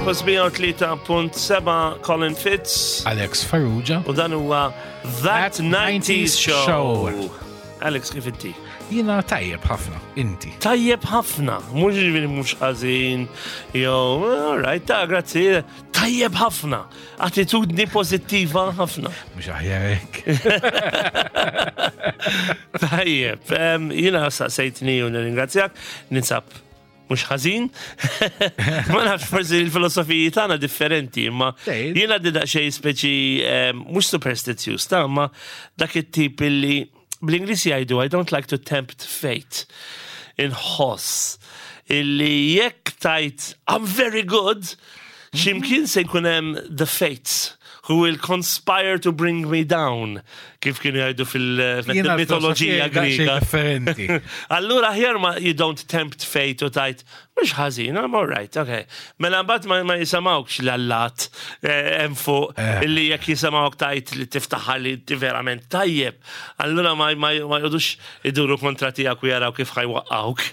Campus 103.7 Colin Fitz. Alex Farrugia. U dan huwa That, That 90s Show. Show. Alex, kif inti? Jina tajjeb ħafna, inti. Tajjeb ħafna, mhux ġifieri mhux ħażin, jew, all right, ta' grazzi, tajjeb ħafna, attitudni pożittiva ħafna. Mhux aħjar hekk. Tajjeb, jiena saqsejtni u nirringrazzjak, ninsab mhux ħażin. Ma nafx forsi l-filosofiji tagħna differenti, imma jiena di daqsxejn speċi mhux superstizzjuż ta' imma dak it-tip illi bl-Ingliż jgħidu I don't like to tempt fate. Inħoss illi jekk tajt I'm very good, ximkien se jkun hemm the fates who will conspire to bring me down, kif kienu jgħidu fil-mitoloġija Griega. Differenti. Allura aħjar ma you don't tempt fate u tajt, mhux ħażin, I'm all right, okay. Mela mbagħad ma, ma jisamawkx l-allat eh, hemm fuq eh. illi jekk jisamawk tajt li tiftaħar li inti verament tajjeb, allura ma, ma, ma jgħodux iduru kontra tiegħek u jaraw kif ħajwaqqawk.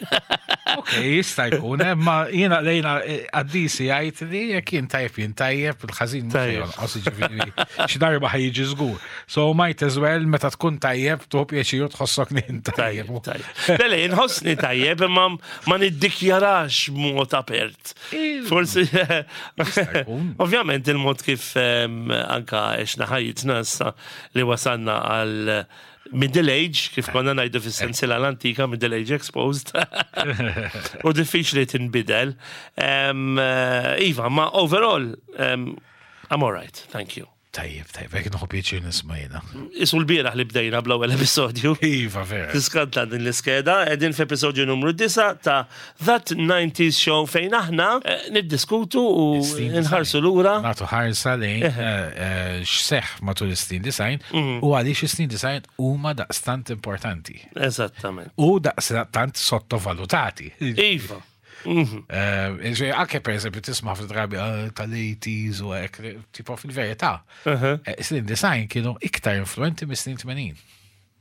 Ok, jista' jkun, eh, ma jiena lejna eh, qaddisi jgħid li jekk jien tajjeb jien tajjeb, il-ħażin mhux jonqos jiġifieri xi darba ħajjiġi żgur. So might as well meta tkun tajjeb tuħu pjaċir u tħossok li jien tajjeb. Le, le, inħossni tajjeb imma ma niddikjarax b'mod apert. Forsi, ovvjament il-mod kif ehm, anka għexna ħajjitna issa li wasalna għal Middle Age, kif konna najdu fis-sensiela l-antika, Middle Age Exposed. U diffiċli tinbidel. Eh, iva, ma overall, um, I'm alright, thank you. Tajjeb, tajjeb, jek nħu pjaċir nisma jena. Isu l-bieraħ li bdejna bl-ewwel episodju. Iva, vera. Tiskanta din l-iskeda, edin f'episodju numru 9 ta' That 90s Show fejn aħna eh, niddiskutu u nħarsu lura. Nagħtu ħarsa lejn eh, eh, x'seħħ matul is-snin design mhm. u għaliex is-snin design huma daqstant importanti. Eżattament. U daqstant sottovalutati. Iva. Mhm. Anke per eżempju tisma' fil-drabi tal-80s u hekk, tipo fil-verità. Snin design kienu iktar influenti mis-snin 80.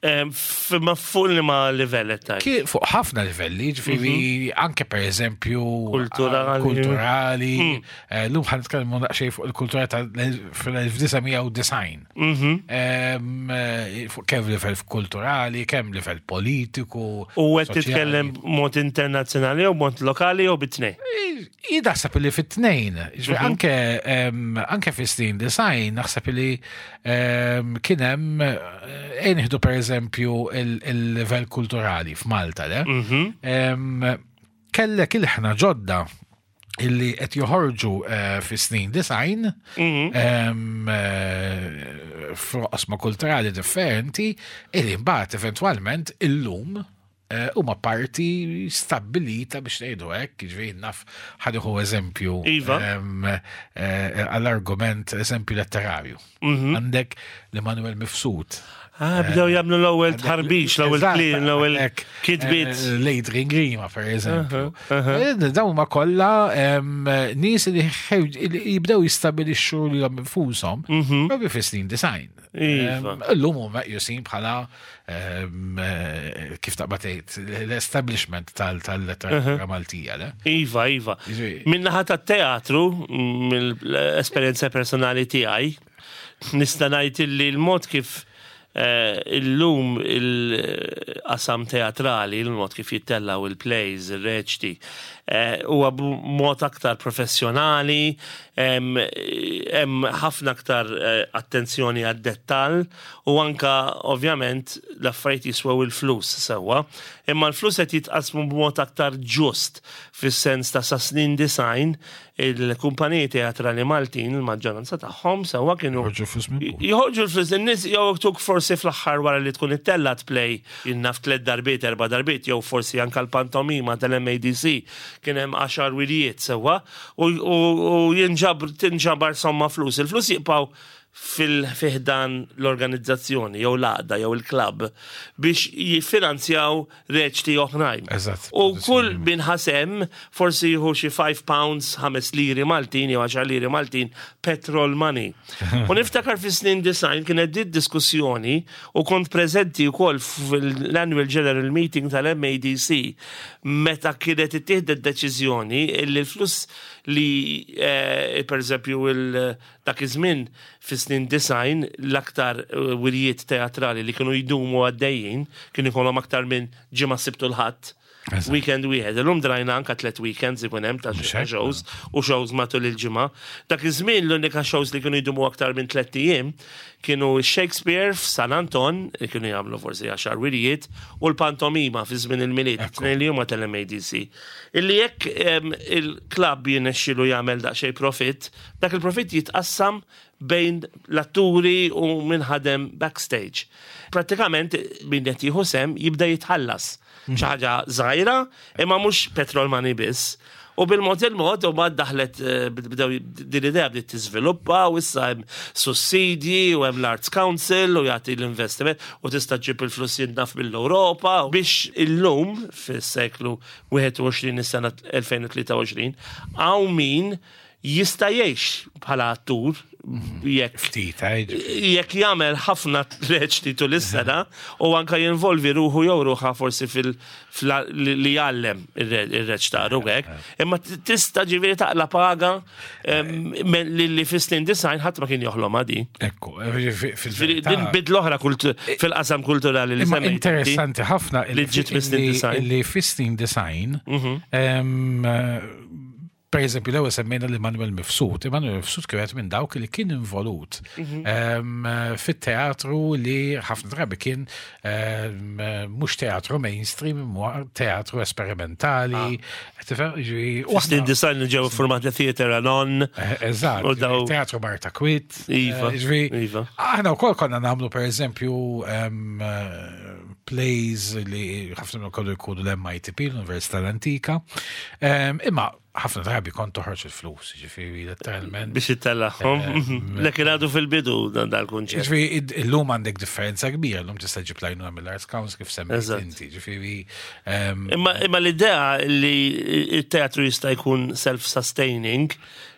Ma fuq li ma livell qed Fuq ħafna livelli, ġifieri mhm. anke pereżempju kulturali. Kulturali. Mm. Eh, lum ħan nitkellmu daqsxejn fuq il-kultura ta' fl-1990. Mhm. Eh, fuq kemm livell kulturali, kemm livell politiku. U qed titkellem mod internazzjonali jew mod lokali jew bit-tnejn? Jien naħseb li fit-tnejn, mhm. anke anke fi snin design naħseb li kien hemm eh, nieħdu pereżempju il-livell kulturali f'Malta, le? Mhm. Kellek il-ħna ġodda illi qed joħorġu eh, fi snin design mhm. eh, f'oqsma kulturali differenti illi mbagħad eventwalment illum Eh, huma parti stabbilita biex ngħidu hekk, jiġifieri naf ħadiħu eżempju iva. Eh, għall-argument eżempju letterarju. Mhm. Għandek l-Emanuel Mifsud. Ah, bdew jagħmlu l-ewwel tħarbix, l-ewwel kliem, l-ewwel kitbiet. Eh, L-Adrian Grima, per eżempju. Dawn ma kollha nies li jibdew jistabilixxu lilhom infushom, mhm. propju fis-snin design. Iva. Illum huma meqjusin bħala eh, kif taqbad tgħid l-establishment tal-letteratura Maltija, le? Iva, iva. Min-naħa tat-teatru, mill-esperjenza personali tiegħi, nista' ngħid illi l-mod kif eh, illum il-qasam teatrali, il-mod kif jittellaw il-plays, il-reċti, eh, huwa b'mod aktar professjonali, Hemm ħafna aktar eh, attenzjoni għad-dettall u anka ovvjament l-affarijiet jiswew il-flus sewwa, imma l-flus qed jitqasmu b'mod aktar ġust fis-sens ta' sa snin design il-kumpaniji teatrali Maltin il-maġġoranza tagħhom sewwa kienu joħorġu l-flus in-nies jew tuk forsi fl-aħħar wara li tkun ittellat play jinnaf tliet darbiet, erba' darbiet jew forsi anka l-pantomima tal-MADC kien hemm għaxar wirjiet sewwa u jinġabr tinġabar somma flus. Il-flus jibqgħu fil-fiħdan l-organizzazzjoni jew l-għaqda jew il-klabb biex jiffinanzjaw reċti oħrajn. Eżatt. U kull min ħasem forsi jieħu xi 5 pounds, 5 liri Maltin jew 10 liri Maltin petrol money. U niftakar fi snin design kienet dit diskussjoni u kont preżenti wkoll fil-Annual General Meeting tal-MADC meta kienet ittieħdet deċiżjoni li l-flus li eh, per eżempju Dak iż-żmien, fis-snin 90, l-aktar wirjiet teatrali li kienu jdumu għaddejjin kienu jkollhom aktar minn ġimgħa Sibt u l-Ħadd. Weekend wieħed. Illum drajna anka tliet weekends ikun hemm ta' shows u shows matul il-ġimgħa. Dak iż-żmien l-unika shows li kienu jdumu aktar minn tliet ijiem kienu Shakespeare f'San Anton, li kienu jagħmlu forsi għaxar wirjiet, u l-pantomima fi żmien il-Milied, tnejn li huma tal-MADC. Illi jekk il-klabb jirnexxielu jagħmel daqsxejn profitt, Dak il-profitt jitqassam bejn l-atturi u min ħadem backstage. Prattikament min qed jieħu sehem jibda jitħallas. Xi ħaġa żgħira, imma mhux petrol money biss. U bil-mod il-mod u mbagħad daħlet eh, bdew din l-idea bdiet tiżviluppa u issa hemm sussidji u hemm l-Arts Council u jagħti l-investiment u tista' ġġib il-flus jien naf mill-Ewropa biex illum fis-seklu 21 is-sena 2023 hawn min jista' jgħix bħala attur jekk Ftit, eh, jekk jagħmel ħafna reċti tul is-sena u anka jinvolvi ruħu jew ruħha forsi fil li jgħallem ir-reċtar u hekk. Imma tista' ġifieri taqla paga li fis-snin 90 ħadd ma kien joħlom di. Ekku, eh, fil Din bidla oħra fil-qasam kulturali li semmejt. Interessanti ħafna li ġiet mis-snin 90. Li fis-snin 90 Per eżempju, l-ewwel semmejna li Manuel Mifsud. Emanuel Mifsud kien minn dawk li kien involut fit-teatru li ħafna drabi kien mhux teatru mainstream, imma teatru esperimentali. Tifhem? Ġifieri, u Snin 90 li ġew formati Theatre Anon. Eh, Eżatt, U daw- teatru Marta Kwit. Iva, Eh, ġifieri, iva. Aħna wkoll konna nagħmlu per eżempju eh, plays li ħafna minnhom kollu jkunu l-MITP, l-Università l-Antika. Imma ħafna drabi kont toħroġ il-flus, ġifieri letteralment. Biex ittellagħhom. Lek għadu fil-bidu dan dal-kunċett. Ġifieri illum għandek differenza kbira, illum tista' ġib lajnuna mill-Arts Council kif semmejt inti, ġifieri. Imma l-idea li il-teatru jista' jkun self-sustaining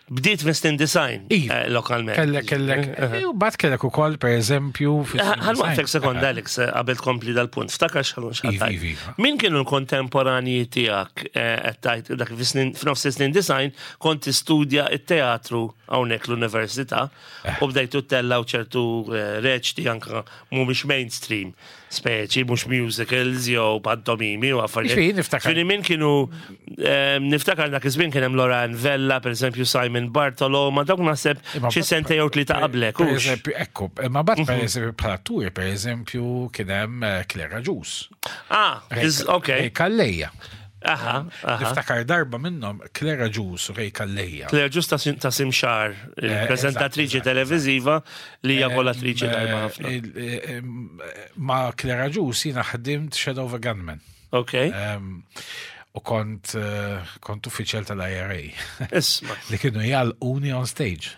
bdiet minn design Iva. lokalment. Kellek, kellek, u bat kellek ukoll per eżempju. Ħa nwaqqfek sekonda, Alex, qabel tkompli dal-punt. Ftakar x'ħalun Iva, x'ħatajt. iva, iva. Min kienu l-kontemporanji tiegħek qed tgħid dak f'nofs snin 90 kont tistudja it-teatru hawnhekk l-università u bdejtu ttellaw ċertu reċti anka mhumiex mainstream, speċi mhux musicals jew pantomimi u affarijiet. Ġifieri, niftakar. Ġifieri min kienu niftakar dak iż-żmien kien hemm Loran Vella, per eżempju Simon Bartolo, ma dawk naħseb Imma xi sentejn jew tlieta qablek. Per hux? eżempju, ekku, imma bat per eżempju bħala atturi, per eżempju, kien hemm Clara Ġus. Ah, ok. Ray Calleja. Aha. Niftakar darba minnhom Clara Ġus u Ray Calleja. Claire Ġus ta' Simxar, il-prezentatriċi televiziva li hija attriċi tajba ħafna. Ma' Clara Ġus jiena ħdimt Shadow of a Gunman. U kont uffiċjal tal-IRA. Isma. Li kienu jgħalquni on stage.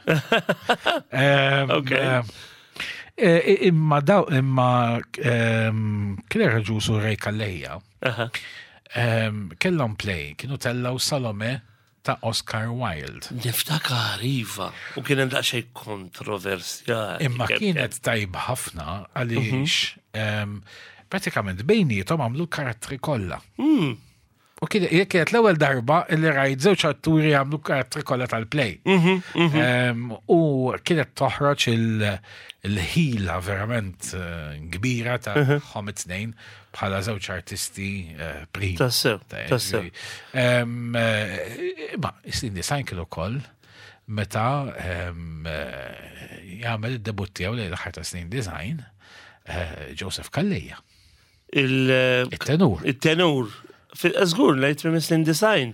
Imma daw, imma Clara Ġus u Ray Calleja kellhom play, kienu tellaw Salome ta' Oscar Wilde. Niftakar, iva. U kien hemm daqsxejn kontroversjali. Imma kienet tajba ħafna għaliex pratikament bejnietom għamlu karattri kollha. U kienet l-ewwel darba li rajt żewġ atturi għamlu karattri kollha tal-play. U kienet toħroġ il-ħila verament kbira ta' hom it-tnejn bħala żewġ artisti primi. Tassew, tassew. Imma is-snin 90 kienu ukoll meta jagħmel id-debut tiegħu lejn l-aħħar ta' snin 90 Joseph Calleja. Il-tenur. Il-tenur. Żgur, lejt minn snin 90.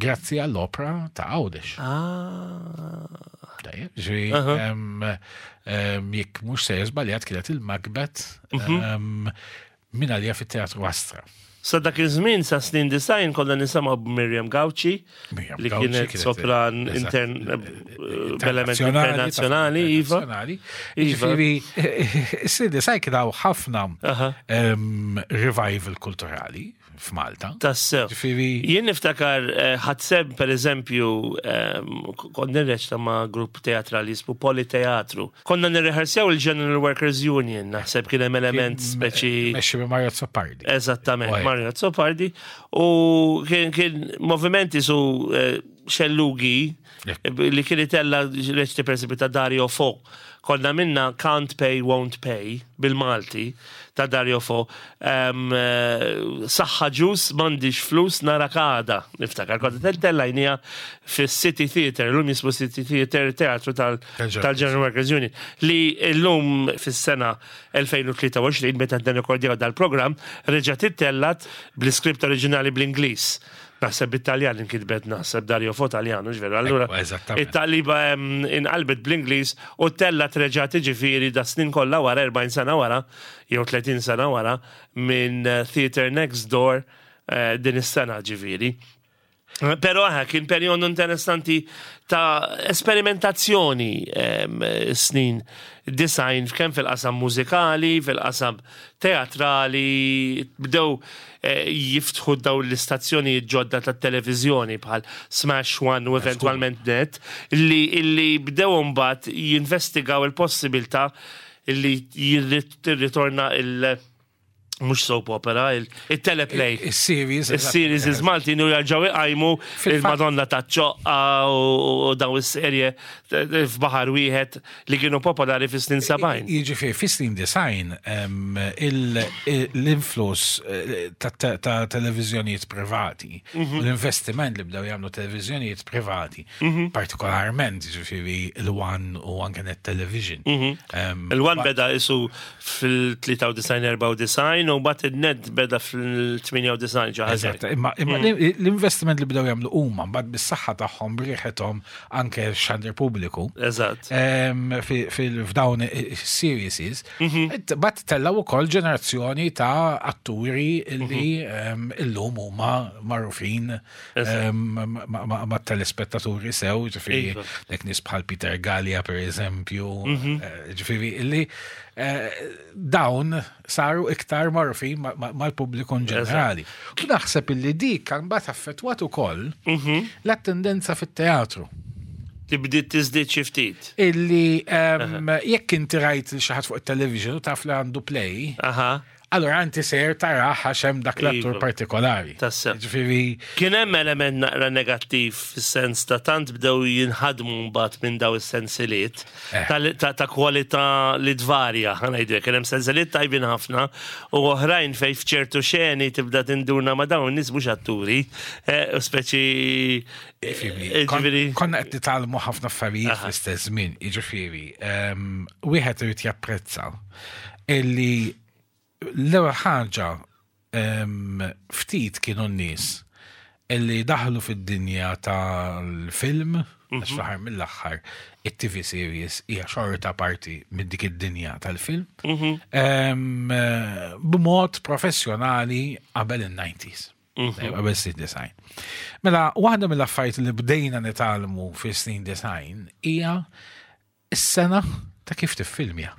Grazzi għall-opera ta' Għawdex. Tajjeb, ġifieri, jekk mhux se żbaljat kienet il-Macbeth minn għalija fit-Teatru Astra. Sa dak iż-żmien sa snin 90 konna nisimgħu b'Miriam Gauci li kienet sopran intern b'element internazzjonali, iva. Iva. Ġifieri snin 90 kien hawn ħafna revival kulturali f'Malta. Tassew. Ġifieri. Jien niftakar ħadseb per eżempju kont nirreċta ma' grupp teatrali jismu Politeatru. Konna nirrehersjaw il-General Workers Union, naħseb kien hemm element speċi. Mexxi minn Mario Azzopardi. Eżattament, Mario Azzopardi. U kien kien movimenti su xellugi li kien itella reċti per eżempju ta' Dario Fo. Konna minna Can't Pay, Won't Pay bil-Malti ta' Dario Fo. Saħħa ġus, m'għandix flus, narak għada. Niftakar, konna tellajnija fis-City Theatre, l-lum jismu City Theatre, teatru tal-General Workers Union, li l-lum fis-sena 2023, meta nirrekordjaw dal-programm, reġgħet ittellat bl-iskript oriġinali bl-Ingliż. Naħseb bit-Taljan inkitbet, naħseb Dario Fo Taljan, mhux veru. Allura, it-taqliba inqalbet bl-Ingliż u tellat reġgħet jiġifieri da snin kollha wara, 40 sena wara, jew 30 sena wara, minn Theatre Next Door din is-sena ġifieri. Però kien perjodu interessanti ta' esperimentazzjoni snin 90 kemm fil-qasam mużikali, fil-qasam teatrali, bdew jiftħu daw l-istazzjonijiet ġodda tat-televiżjoni bħal Smash One u eventwalment Net li bdew imbagħad jinvestigaw il-possibilità li jirritorna il- mhux soap opera, il-teleplay. Il-series. Il-series iż-Maltin u jarġaw iqajmu il-Madonna ta' ċoqqa u daw is-serje f'baħar wieħed li kienu popolari fis-snin 70. Jiġifieri fis-snin 90 l-influss ta' televiżjonijiet privati, l-investiment li bdew jagħmlu televiżjonijiet privati, partikolarment jiġifieri l-One u anke Net Television. Il-One beda isu fil-93-94 u mbagħad il-Net beda fil-98 ġaħġa. Eżatt, imma l-investiment li bdew jagħmlu huma mbagħad bis-saħħa tagħhom b'riħethom anke xandir pubbliku. F'dawn is-series, mbagħad tellgħu wkoll ġenerazzjoni ta' atturi li illum huma magħrufin ma' telespettaturi sew, ġifieri dak nies bħal Peter Gallia per eżempju, ġifieri illi dawn saru iktar magħrufin mal-pubbliku in ġenerali. U naħseb illi dik kan mbagħad affettwat ukoll l-attendenza fit-teatru. Tibdiet tiżdied xi ftit. Illi jekk inti rajt xi ħadd fuq it-television u taf li għandu play, allora inti ser tara għax hemm dak l-attur partikolari. Tassew. Ġifieri Kien hemm element naqra negattiv fis-sens ta' tant bdew jinħadmu mbagħad minn daw is-sensiliet ta' kwalità li tvarja, ħa ngħidu hekk, kien hemm sensiliet tajbin ħafna u oħrajn fejn f'ċertu xeni tibda tinduna ma' dawn in-nies mhux atturi, u speċi ġifieri Konna qed nitgħallmu ħafna affarijiet fl-istess żmien, jiġifieri, wieħed irid japprezza illi l-ewwel ħaġa ftit kienu n-nies illi daħlu fid-dinja tal-film, għax fl-aħħar mill-aħħar it-TV series hija xorta parti minn dik id-dinja tal-film, b'mod professjonali qabel il-90s. Qabel snin 90. Mela, waħda mill-affarijiet li bdejna nitgħallmu fi snin 90 hija is-sena ta' kif tiffilmja.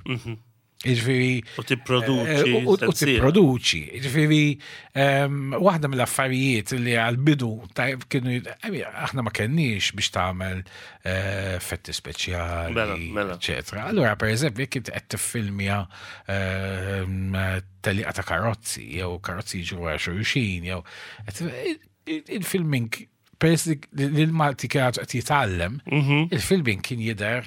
Jiġifieri U tipproduċi. U tipproduċi. Jiġifieri waħda mill-affarijiet li għal-bidu kienu aħna ma kenniex biex tagħmel effetti speċjali, eccetera. Allura, per eżempju, jekk inti qed tiffilmja teliqa ta' karozzi, jew karozzi jiġu wara xulxin, jew il-filming peress li l-Malti kien qed jitgħallem, il-filming kien jidher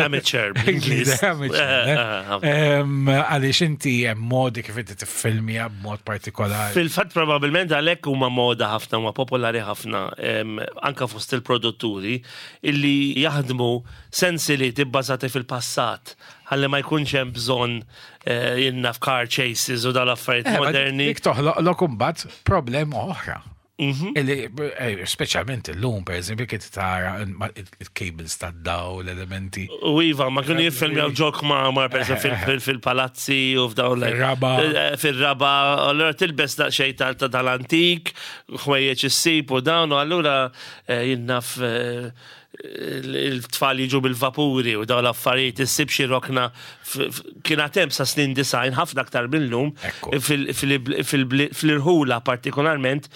amateur. Jidher amateur. Għaliex inti hemm modi kif inti tiffilmja b'mod partikolari. Fil-fatt probabbilment għalhekk huma moda ħafna, huma popolari ħafna anka fost il-produtturi illi jaħdmu sensiliet ibbażati fil-passat ħalli ma jkunx hemm bżonn jinnaf car chases u dal-affarijiet moderni. Dik toħloq imbagħad problema oħra. Illi, speċjalment illum, per eżempju, kif tara il-cables tad-daw, l-elementi. U iva, ma kienu jiffilmjaw ġok ma' mar per eżempju fil-palazzi u f'dawn Fil-raba. Fil-raba, allura tilbes daqsxejn tal-antik, ħwejjeġ issib u dawn, u allura jien naf il-tfal jiġu bil-vapuri u dawn l-affarijiet, issib xi rokna kien għad hemm sa snin 90 ħafna aktar mil-lum fil-irħula partikolarment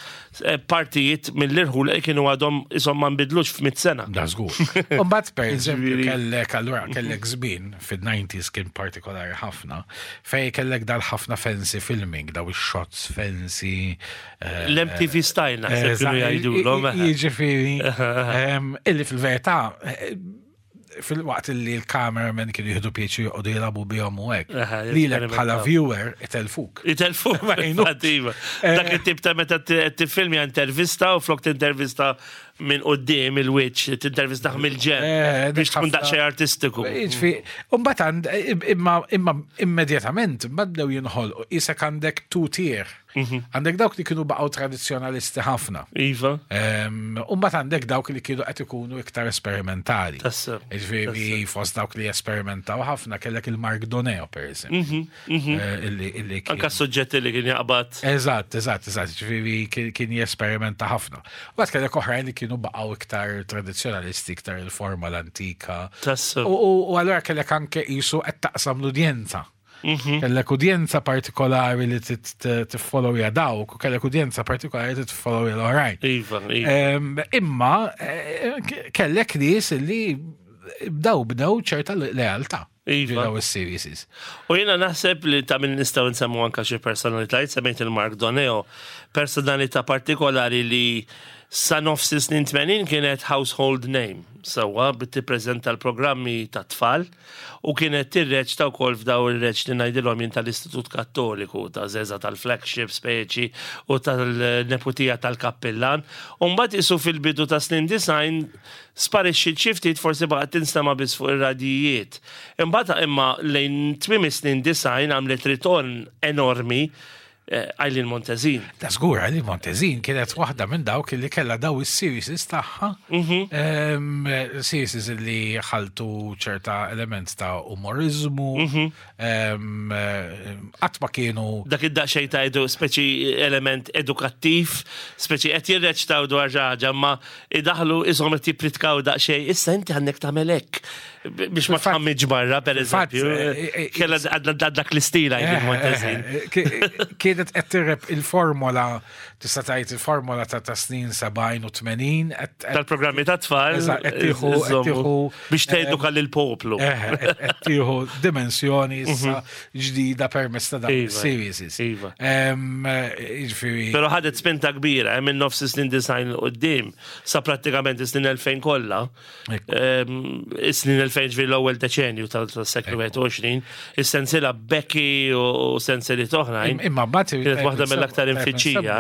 partijiet mill-irħula li kienu għadhom ishom ma nbidlux f'mitt sena. Da żgur. U mbagħad per eżempju kellek allura kellek żmien fid-90s kien partikolari ħafna fej kellek dal-ħafna fancy filming, daw ix-shots fancy. L-MTV style naħseb kienu jgħidulhom. Jiġifieri illi fil-verità fil-waqt li l-cameraman kienu jieħdu pjaċir joqogħdu jilagħbu bihom u hekk. Lilek bħala viewer itelfuk. Itelfuk, ma iva. Dak it-tip ta' meta tiffilmja intervista u flok tintervista minn quddiem il-wiċċ, tintervista mill-ġenb biex tkun daqsxejn artistiku. Jiġifieri, u mbagħad imma immedjatament mbagħad bdew jinħolqu isek għandek two tier. Għandek dawk li kienu baqgħu tradizzjonalisti ħafna. Iva. U mbagħad għandek dawk li kienu qed ikunu iktar esperimentali. Tassew. Jiġifieri fost dawk li esperimentaw ħafna kellek il-Mark Doneo per eżempju. Illi kien Anka s-suġġetti li kien jaqbad. Eżatt, eżatt, eżatt. Jiġifieri kien jesperimenta ħafna. Mbagħad kellek oħrajn li kienu baqgħu iktar tradizzjonalisti, iktar il-forma l-antika. Tassew. U allura kellek anke qisu qed taqsam l-udjenza. Kellek udjenza partikolari li tiffollowja dawk u kellek udjenza partikolari li tiffollowja l-oħrajn. Iva, iva. Imma kellek nies li bdew bnew ċerta lealtà. Iva. Daw is-series. U jiena naħseb li ta' min nistgħu nsemmu anka xi personalitajiet, semmejt il-Mark Doneo, personalità partikolari li sa nofs is-snin 80 kienet household name, sewwa tippreżenta l-programmi tat-tfal u kienet tirreċta wkoll f'daw ir-reċti ngħidilhom jien tal-Istitut Kattoliku, ta' Żeża tal-Flagship speċi u tal-Neputija tal-Kappillan. U mbagħad isu fil-bidu ta' snin 90 sparixxiet xi ftit forsi baqgħet tinstema' biss fuq ir-radijiet. Imbagħad imma lejn tmiem is-snin 90 għamlet ritorn enormi Eileen Montezin. Ta' żgur, Eileen Montezin kienet waħda minn dawk li kellha daw is-series tagħha. Series li ħaltu ċerta element ta' umorizmu. Qatt ma kienu. Dak id-daqsxejn ta' edu, speċi element edukattiv, speċi qed jirreċtaw dwar xi ħaġa, ma idaħlu ishom qed jippritkaw daqsxejn, issa inti għandek tagħmel hekk. Biex ma tħammiġ barra, per eżempju. Kella dak l-istil għajdi Montezin. Kienet qed tirrep il-formola, tista' tgħid il-formola ta' snin 70 u 80. Tal-programmi ta' tfal. Biex teduka lill-poplu. Qed tieħu dimensjoni issa ġdida permezz ta' dawn is-series. Iva. Jiġifieri. Però ħadet spinta kbira minn nofs is-snin 90 'l quddiem sa prattikament is-snin 2000 kollha. Is-snin 2000 ġifieri l-ewwel deċenju tas-seklu 21, is-sensiela Becky u sensiliet oħrajn. Imma mbagħad kienet waħda mill-aktar imfittxija.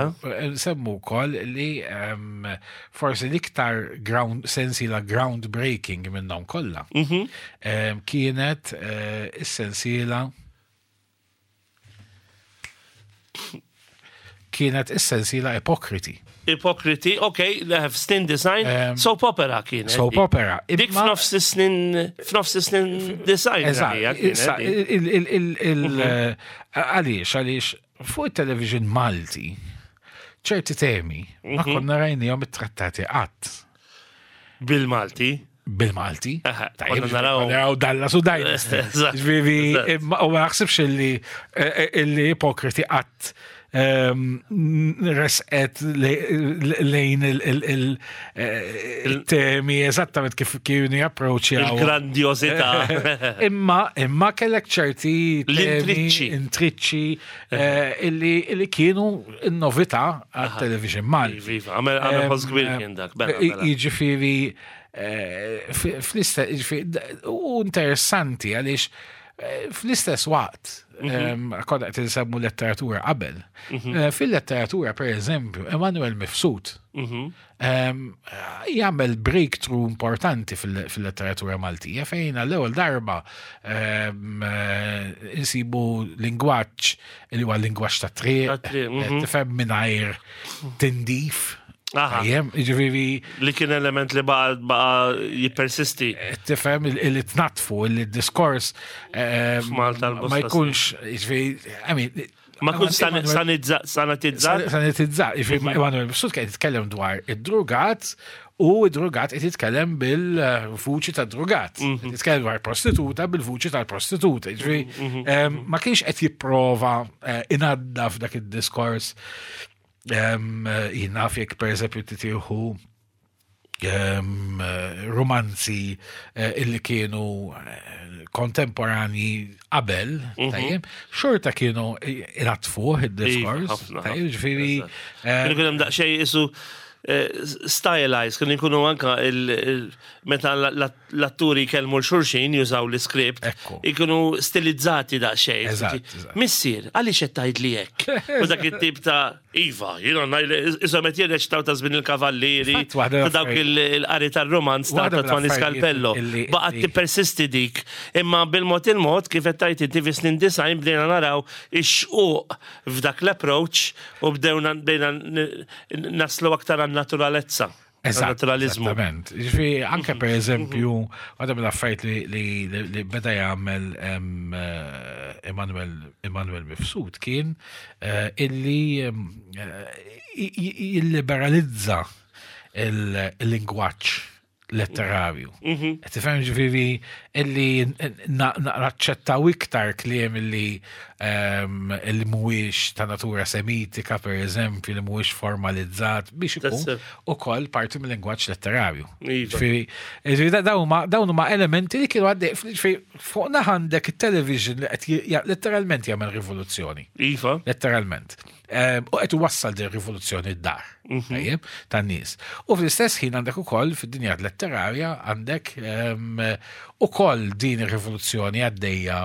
Nsemmu wkoll li forsi l-iktar ground sensiela groundbreaking minnhom kollha kienet is-sensiela kienet is-sensiela Ipokriti. Ipokriti, ok, snin design, soap opera kienet. Soap opera. Dik f'nofs snin, f'nofs snin design. Eżatt, għaliex, għaliex fuq il-television Malti, ċerti temi ma konna rajnihom ittrattati qatt. Bil-Malti. Bil-Malti. Konna naraw. Naraw Dallas u Dynasty. Ġifieri, u ma naħsibx illi eh, illi ipokriti qatt ehm, resqet lejn eh, il-temi eżattament kif kienu japproċċjaw. Il-grandjosità. Imma imma kellek ċerti l-intriċċi. Intriċċi eh, illi kienu n-novità għat-television Malti. Iva, għamel ħoss kbir kien dak. Mela, mela. Jiġifieri eh, fl-istess, u interessanti għaliex Fl-istess waqt, konna qed insemmu letteratura qabel. Fil-letteratura, per eżempju, Emanuel Mifsud jagħmel breakthrough importanti fil-letteratura Maltija fejn għall-ewwel darba insibu lingwaġġ li huwa lingwaġġ ta' triq, tifhem mingħajr tindif. Jem, ġifieri. Li kien element li baqa jippersisti. Tifhem li tnatfu, li diskors ma jkunx, ġifieri, I mean, Ma kun sanitizzat. Sanitizzat, ġifieri, Emanuel Mifsud kien jitkellem dwar id-drugat u id-drugat qed jitkellem bil-vuċi ta' drugat. Jitkellem dwar prostituta bil-vuċi tal-prostituta. Ġifieri, ma kienx qed jipprova inaddaf dak id-diskors. Jien naf jekk per eżempju titieħu romanzi illi kienu kontemporanji qabel, tajjeb, xorta kienu inatfuh id-diskors, tajjeb, ġifieri. Kienu kien hemm daqsxejn isu stylized, kienu jkunu anka meta l-atturi jkellmu l-xulxin jużaw l-iskript, ikunu stilizzati daqsxejn. Missier, għaliex qed tgħidli hekk? U dak it-tip ta' Iva, jiena ngħid isom qed jirreċtaw ta' żmien il-kavallieri, ta' dawk il-qari tar-romanz ta' Tony Scalpello. Baqgħet tippersisti dik. Imma bil-mod il-mod kif qed tgħid inti fis-snin 90 bdejna naraw ix-xquq f'dak l-approach u bdejna naslu aktar għan-naturalezza. Naturalizmu. Esattament. Ġifieri anke per eżempju, waħda mill-affarijiet li beda jagħmel Emanuel Emanuel Mifsud kien illi jilliberalizza il-lingwaġġ letterarju. Qed tifhem ġifieri illi naċċettaw iktar kliem illi illi mhuwiex ta' natura semitika, per eżempju, li mhuwiex formalizzat biex ikun ukoll parti mill-lingwaġġ letterarju. Ġifieri dawn huma elementi li kienu għaddej fuq naħa għandek it-television li qed letteralment jagħmel rivoluzzjoni. Iva. Letteralment. U qed iwassal din rivoluzzjoni d-dar, tajjeb, tan-nies. U fl-istess ħin għandek ukoll fid-dinja letterarja għandek ukoll din ir-rivoluzzjoni għaddejja.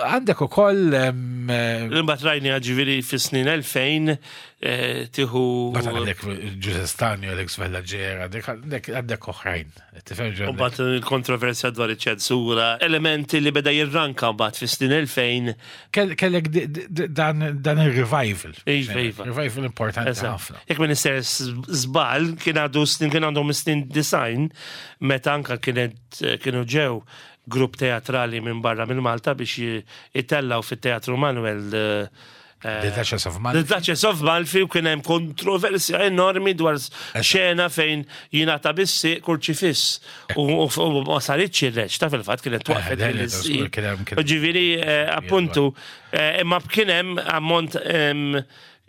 Għandek ukoll. Imbagħad rajni ġifieri fis-snin 2000 tieħu. Mbagħad għandek Giuseppe Stanio, Alex Vallagera, għandek oħrajn. U mbagħad il-kontroversja dwar iċ-ċensura, elementi li beda jirranka mbagħad fis-snin 2000. Kellek dan il-revival. Iva, iva. Revival importanti ħafna. Jekk minister żball kien għadu snin kien għandhom snin design meta anka kienet kienu ġew grupp teatrali minn barra minn Malta biex jitellaw fit-Teatru Manuel The Duchess of Malfi. The Duchess of Malfi u kien hemm kontroversja enormi dwar xena fejn jingħata bissi kurċifiss u ma saritx ir-reċ ta' fil-fatt kienet twaqfet il Ġifieri appuntu imma kien hemm ammont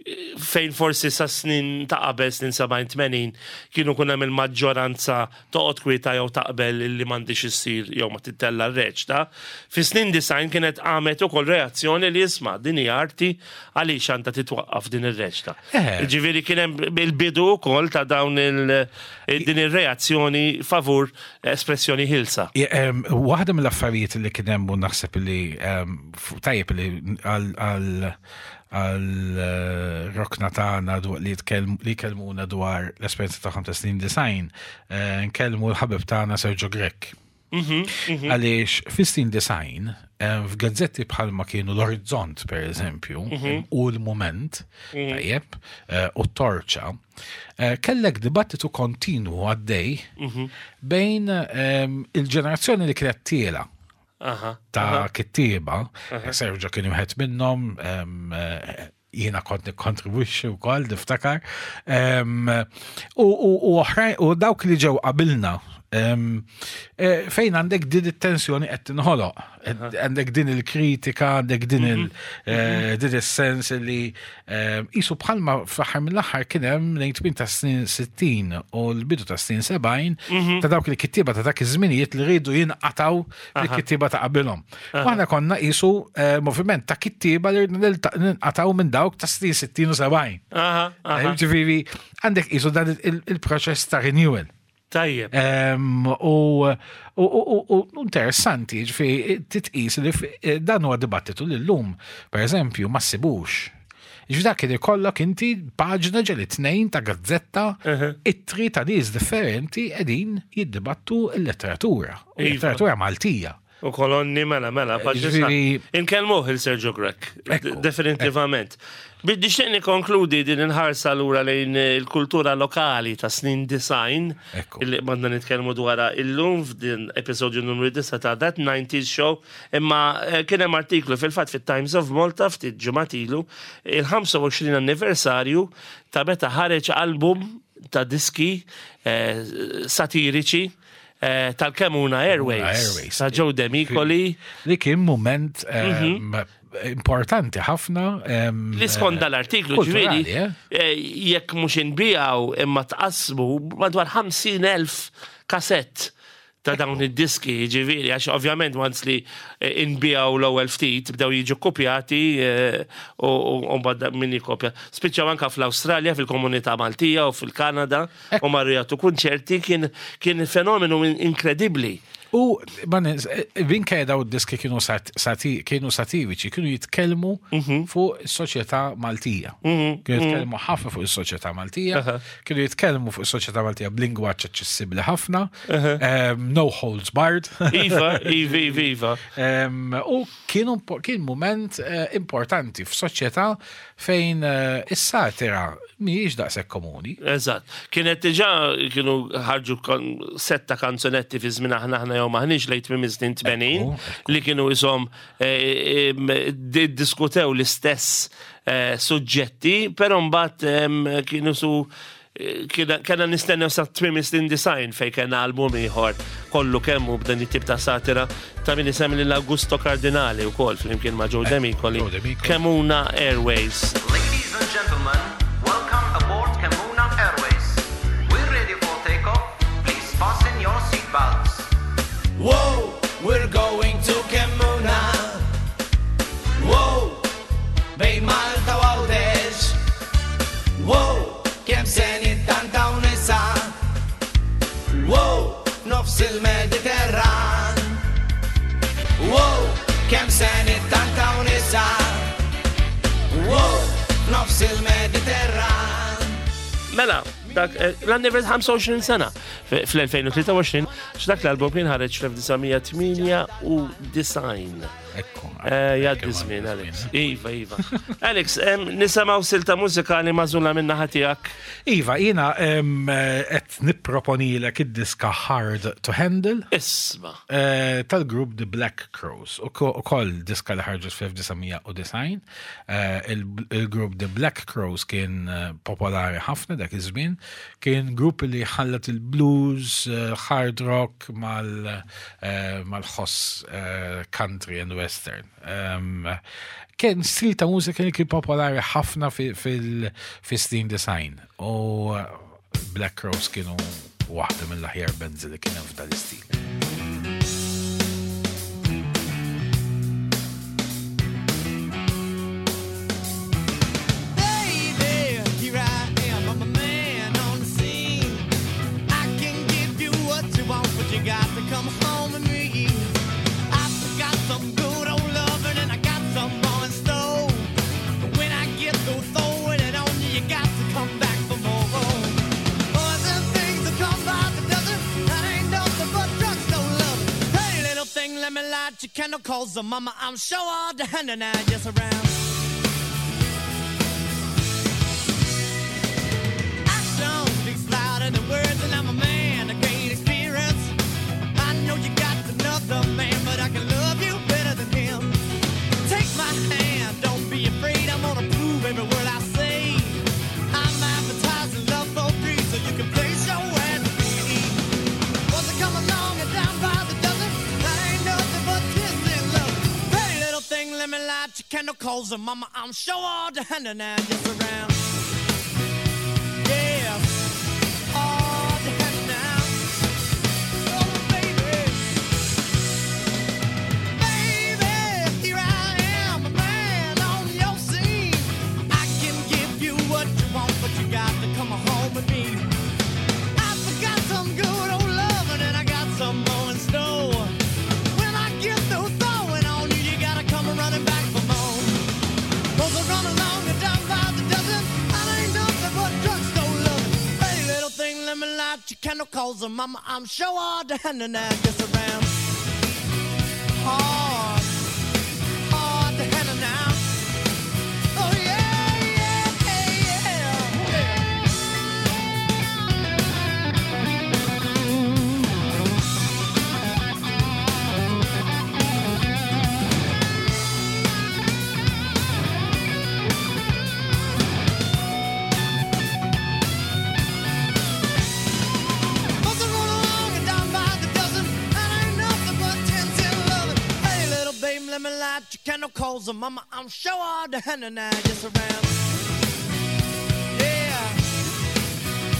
fejn forsi sa snin ta' qabel snin 70-80 kienu kun hemm il-maġġoranza toqgħod kwieta jew taqbel li m'għandix issir jew ma tittella r-reċta. Fi snin 90 kienet qamet ukoll reazzjoni li isma' din hija arti għaliex għandha titwaqqaf din ir-reċta. Ġifieri kien hemm il-bidu wkoll ta' dawn din ir-reazzjoni favur espressjoni ħilsa. Waħda mill-affarijiet li kien hemm u naħseb li tajjeb li għal għal rokna tagħna li jkellmuna dwar l-esperjenza tagħhom ta' snin design, nkellmu l-ħabib tagħna Sergio Grech. Għaliex fi snin design, f'gazzetti bħalma kienu l-Orizzont, per eżempju, u l-Moment, tajjeb, u t-Torċa, kellek dibattitu kontinwu għaddej bejn il-ġenerazzjoni li kienet tiela ta' kittieba, Sergio kien wieħed minnhom, jiena kont nikkontribwixxi wkoll niftakar. U oħrajn u dawk li ġew qabilna fejn għandek din it-tensjoni qed tinħoloq, għandek din il-kritika, għandek din il din is-sens li qisu bħalma fl-aħħar mill-aħħar kien hemm lejn tmien ta' snin 60 u l-bidu ta' snin 70 ta' dawk il-kittieba ta' dak iż-żminijiet li rridu jinqataw il-kittieba ta' qabilhom. U aħna konna qisu moviment ta' kittieba li ninqataw minn dawk ta' snin 60 u 70. Ġifieri għandek qisu dan il-proċess ta' renewal. Tajjeb. U interessanti, ġifieri titqis li dan huwa dibattitu li llum, per eżempju, ma ssibux. Ġifieri dak kien ikollok inti paġna ġeli tnejn ta' gazzetta, ittri ta' nies differenti qegħdin jiddibattu l-letteratura. Iva. Letteratura Maltija. U kolonni mela, mela, Ġifieri- Inkellmuh il-Sergio Grech, definitivament. Nixtieq nikkonkludi din il-ħarsa lura lejn il-kultura lokali ta' snin design, illi qbadna nitkellmu dwarha illum f'din episodju numru 9 ta' That 90s Show, imma eh, kien hemm artiklu fil-fatt fit-Times of Malta ftit ġimgħat ilu il-25 anniversarju ta' meta ħareġ album ta' diski eh, satiriċi eh, tal-Kemuna Airways, ta' Joe Demicoli. Li kien moment importanti ħafna. Li skont dal-artiklu ġifieri, eh? eh, jekk mhux inbijaw imma tqassmu madwar 50,000 kasett ta' dawn id-diski, ġifieri, għax ovvjament once li eh, inbijaw l-ewwel ftit bdew jiġu kopjati u mbagħad min jikopja. Spiċċaw anka fl-Awstralja, fil-komunità Maltija u fil-Kanada u marru jagħtu kunċerti kien kien fenomenu inkredibbli. U minkejja daw id-diski kienu kienu satiriċi, kienu jitkellmu mhm. fuq is-soċjetà Maltija. Mhm. Kienu mhm. jitkellmu ħafna fuq is-soċjetà Maltija, kienu jitkellmu fuq is-soċjetà Maltija b'lingwaġġ aċċessibbli ħafna, no holds barred. Iva, iva, iva, iva. U kienu kien moment eh, importanti f'soċjetà fejn eh, is-satira mhijiex daqshekk komuni. Eżatt. Kienet diġà kienu ħarġu setta kanzunetti fi żmien aħna aħna jew maħniex lejn tmiem is-snin 80 li kienu ishom eh, diskutew l-istess eh, suġġetti, però mbagħad kienu su Kena nistennew sa tmiem is-snin design fej kena album ieħor kollu kemmu b'dan it-tip ta' satira ta' min isemmi lil Augusto Cardinali wkoll flimkien ma' Joe Demicoli. Kemuna Airways. Ladies and gentlemen, welcome aboard Kemuna Airways. We're ready for takeoff. Please fasten your seatbelts. Whoa, we're going to Kemmuna. Whoa, bejn Malta u Għawdex. Wow, kemm se nittantaw nisa. Wow, nofs il-Mediterran. Wow, kemm se nittantaw nisa. Wow, nofs il-Mediterran. Mela, dak eh, l-annivers 25 sena fl-2023, x'dak l-album kien ħareġ fl-1998. Ekku. Eh, jaddi żmien, Alex. Iva, iva. Alex, nisemaw silta mużikali mażula minna ħatijak. Iva, jina qed nipproponilek id-diska Hard to Handle. Isma. Eh, tal-grupp The Black Crows. U koll diska li ħarġet fl-1990. Eh, il-grupp The Black Crows kien popolari ħafna dak iż-żmien. Kien grupp li ħallat il-blues, hard rock mal mal-ħoss country and western. Kien stil ta' mużika li kien popolari ħafna fil-snin design u Black Rose kienu waħda mill-aħjar bands li kien hemm f'dan l-istil. Candle calls the mama, I'm sure all the hand and I just around. Action speaks louder than words, and I'm a man of great experience. I know you got another man, but I can love you better than him. Take my hand, don't be afraid. I'm gonna prove every word I say. I'm advertising love for free, so you can place your ad with me. Once I come along and down by the dozen, that ain't nothing but kissing love. Pretty little thing, let me light your candle, cause the mama, I'm sure all the hand and I just around. Yeah, all the hand now. Oh, baby. Baby, here I am, a man on your scene. I can give you what you want, but you got to come home with me. I've got some good candle, cause mama, I'm sure hard to handle now. Just around. Hard, hard to handle now. Oh yeah, yeah, yeah, yeah. Must have rolled along and down by the dozen, and ain't nothing but 10-10 loving. Hey, little babe, let me light your candle, cause mama, I'm sure hard to handle now. Just around. Yeah.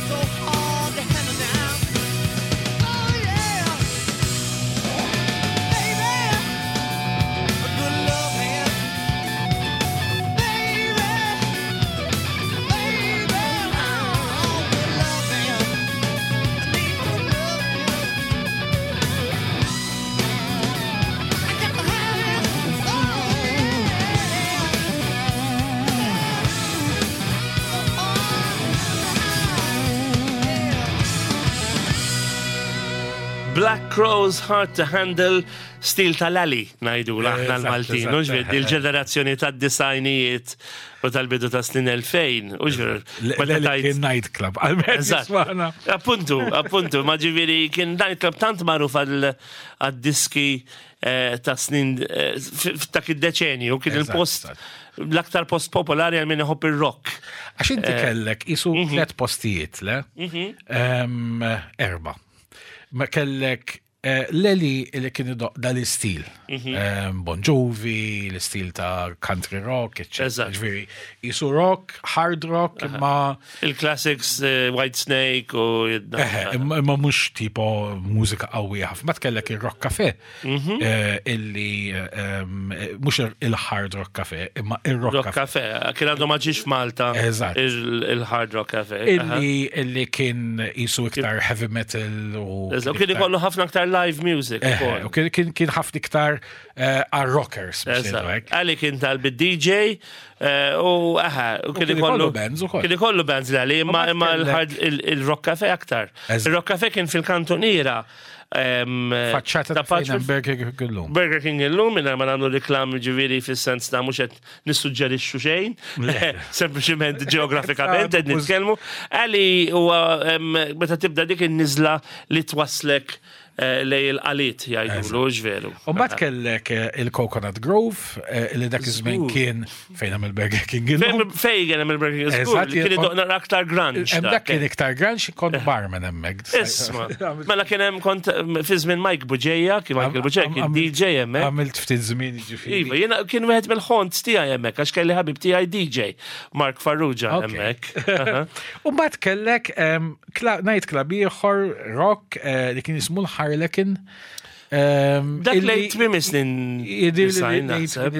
So hard to handle now. Oh, yeah. Baby. A good love hand. Baby. Baby. Oh, good love hand. I need good love hand. I got to have it. Oh, Black Crowes Hard to Handle stil tal-ali najdu aħna Eżatt, l-Maltin, eżatt, u ġviri, il-ġenerazzjoni tad-disajnijiet u tal-bidu ta' snin 2000, u ġviri, meta L-li tajt kien nightclub, għal-mezz Eżatt. jismana. Appuntu, appuntu, ma ġiviri kien nightclub tant magħruf għad-diski ta' snin f'dak id-deċenju, kien Eżatt, il-post eżatt. l-aktar post popolari għal min iħobb ir-rock. Għax inti kellek isu tlet postijiet, le? Erba. Ma kellek Leli li kien idoq dal-istil. Bon Jovi, l-istil ta' country rock, etc. Eżatt. Ġifieri, isu rock, hard rock, imma Il-classics White Snake u Eħe, imma mhux tipo mużika qawwija ħafna. Ma tkellek ir-rock cafe illi mhux il-hard rock cafe, imma ir-rock Rock cafe. Cafe, kien għandu ma ġiex f'Malta Eżatt. il-Hard Rock Cafe. Illi illi kien isu iktar heavy metal u Eżatt, u kien ikollu ħafna aktar live music. Eħe, ukoll. u kien- kien kien ħafna iktar għal-rockers biex ngħidu Eżatt. hekk. Għali kien tal-bid-DJ u aha, u kien kien ikollu ikollu bands ukoll. Kien ikollu bands li għali, imma U imma kellek- l-hard- il-Rock Cafe aktar. Eżatt. Il-Rock Cafe kien fil-kantoniera. Faċċata ta' ta' fejn hemm Burger King illum. Burger King illum minn ma nagħmlu reklam ġifieri fis-sens ta' mhux qed nissuġġerixxu xejn, Le. sempliċiment ġeografikament qed nitkellmu. Għali huwa meta tibda dik in-niżla li twaslek lej il-qalit jgħidulu ġveru. U mbagħad kellek il-Coconut Grove li dak iż-żmien Żgur. kien fejn hemm il-Burger King illum. Fejn kien hemm il-Burger King żgur, Eżatt, kien jien- idoqna aktar grunge. Hemm dak kien iktar grunge kont barman hemmhekk. Isma, mela kien hemm kont fi żmien Mike Buġeja, kien Michael Buġeja kien DJ hemmhekk. Għamilt ftit żmien ġifieri. Iva, jiena kien wieħed mill-ħont tiegħi hemmhekk għax kelli ħabib tiegħi DJ Mark Farrugia Ok. hemmhekk. Aha. U mbagħad kellek night club ieħor rock li kien jismu l-Harlequin. Dak lejn tmiem snin Jidir li design lejn naħseb.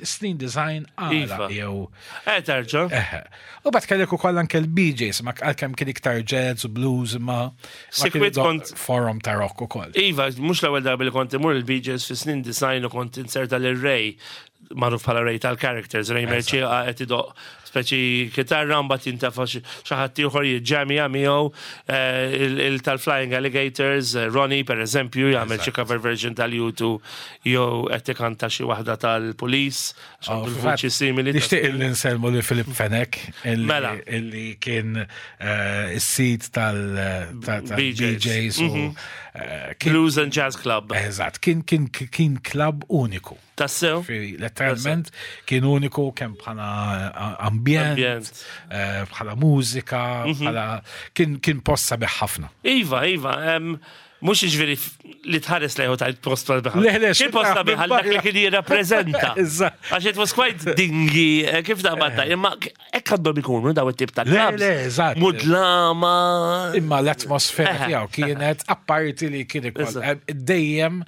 snin design għala Iva. jew. Terġa'. Eħe. U bat kellek ukoll anke l-BJs, ma għalkemm kien iktar jazz u blues ma ma kien Sikwit idoq kont- forum ta' rock ukoll. Iva, mhux l-ewwel darba li kont imur il-BJs fi snin design u kont inserta lil Ray magħruf bħala Ray tal-characters, Ray Merċieqa qed idoq speċi kitarra mbagħad jintafa' xi ħadd ieħor jiġġamija miegħu il tal-Flying Alligators, Ronnie per eżempju jagħmel xi cover version tal-U2 jew qed ikanta xi waħda tal-Police, għax Oh, għandu fil-fatt, l-vuċi simili. Nixtieq illi nselmu li Filip Fenech Mela. illi kien is-sid BJs. tal-BJs u kien Blues and Jazz Club. Eżatt, kien kien kien club uniku. Tassew? Fi letteralment kien uniku kemm bħala ambjent, Ambjent. bħala mużika, bħala kien kien post sabiħ ħafna. Iva, iva, mux ġviri li tħares lejħu tajt post tal-biħal. Le, le, Kien post xi tal-biħal dak li kien jirrapprezenta. Eżatt. Għax it was quite dingy, kif da batta, imma hekk għandhom ikunu daw it-tip ta' Le, clubs. le, eżatt. Mudlama. Imma l-atmosfera Eħe. tiegħu kienet apparti li kien ikoll Eżatt. dejjem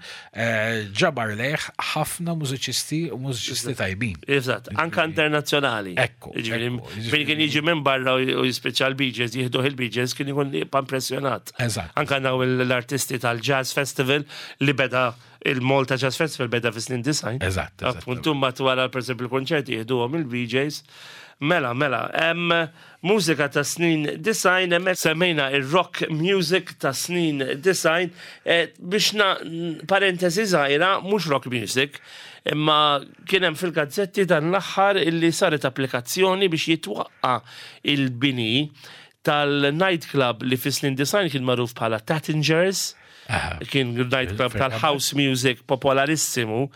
ġabar lejh ħafna mużiċisti u mużiċisti tajbin. Eżatt, anka internazzjonali. Ekku, Ġifieri, ekku, Fejn ġifieri. kien jiġi minn barra u jispiċċa l-BJs, jieħduh il-BJs, kien ikun jibqa' impressjonat. Eżatt. Anka naw l-artisti l-artisti tal-Jazz Festival li beda il-Malta Jazz Festival beda fis-snin 90. Eżatt, eżatt. Appuntu mbagħad wara pereżempju l-konċerti jieħduhom il-BJs. Mela, mela, hemm mużika ta' snin 90, hemmhekk semmejna ir-rock music ta' snin 90, eh, biex na parentesi żgħira, mhux rock music, imma kien hemm fil-gazzetti dan l-aħħar illi saret applikazzjoni biex jitwaqqa il-bini tal-nightclub li fis-snin 90 kien magħruf bħala Tattingers. Kien nightclub tal-house music popolarissimo.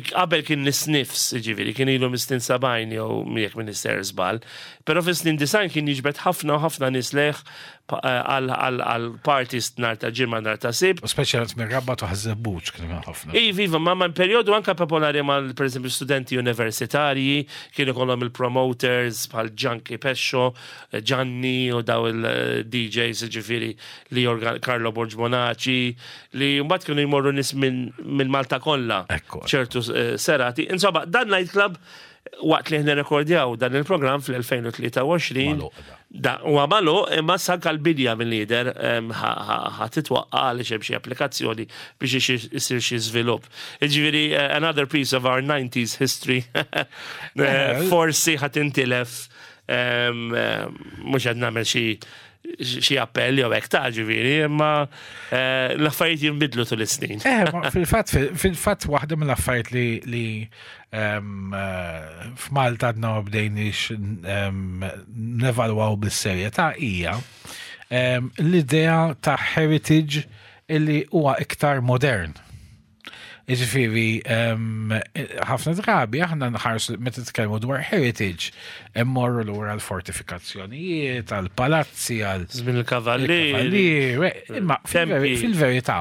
Qabel kien l-Sniffs, ġifieri, kien ilu mis-snin 70 jew jekk m'iniex sejjer żball. Però fis-snin 90 kien jiġbed ħafna u ħafna nies lejh għal parties nhar ta' Ġimgħa, nhar ta' Sibt. U speċjalment mir-Rabat u Ħaż-Żebbuġ kien hemm ħafna. Iva, iva, ma perjodu anka popolari mal per eżempju studenti universitarji, kienu kollhom il-promoters bħal Gianni Pescio, Gianni u daw il-DJs ġifieri li Carlo Borg Monaci, li mbagħad kienu jmorru nies minn Malta kollha. Ċertu serati. Insomma, dan nightclub waqt li ħna rekordjaw dan il-programm fl-2023 da u għamalu imma sanka l-bidja mill-lider ħa titwaqqa għaliex hemm xi applikazzjoni biex isir xi żvilupp. Jiġifieri another piece of our 90s history forsi ħa tintilef, mhux qed nagħmel xi appell jew hekk ta' ġifieri, imma l-affarijiet jinbidlu tul is-snin. Fil-fatt waħda mill-affarijiet li f'Malta għadna ma bdejniex nevalwaw bis-serjetà hija l-idea ta' heritage illi huwa iktar modern. Jiġifieri, ħafna drabi aħna nħarsu meta nitkellmu dwar heritage, immorru lura l-fortifikazzjonijiet, għal-palazzi, għal Żmien il-kavallieri. Il-kavallieri, imma Tempi. fil-verità,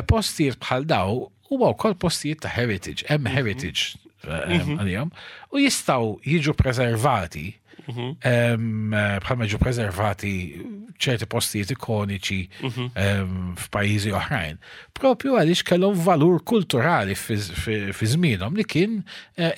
postijiet bħal daw huwa wkoll postijiet ta' heritage, hemm heritage għalihom, u jistgħu jiġu preservati bħalma ġu preservati ċerti postijiet ikoniċi f'pajjiżi oħrajn. Propju għaliex kellhom valur kulturali fi żmienhom li kien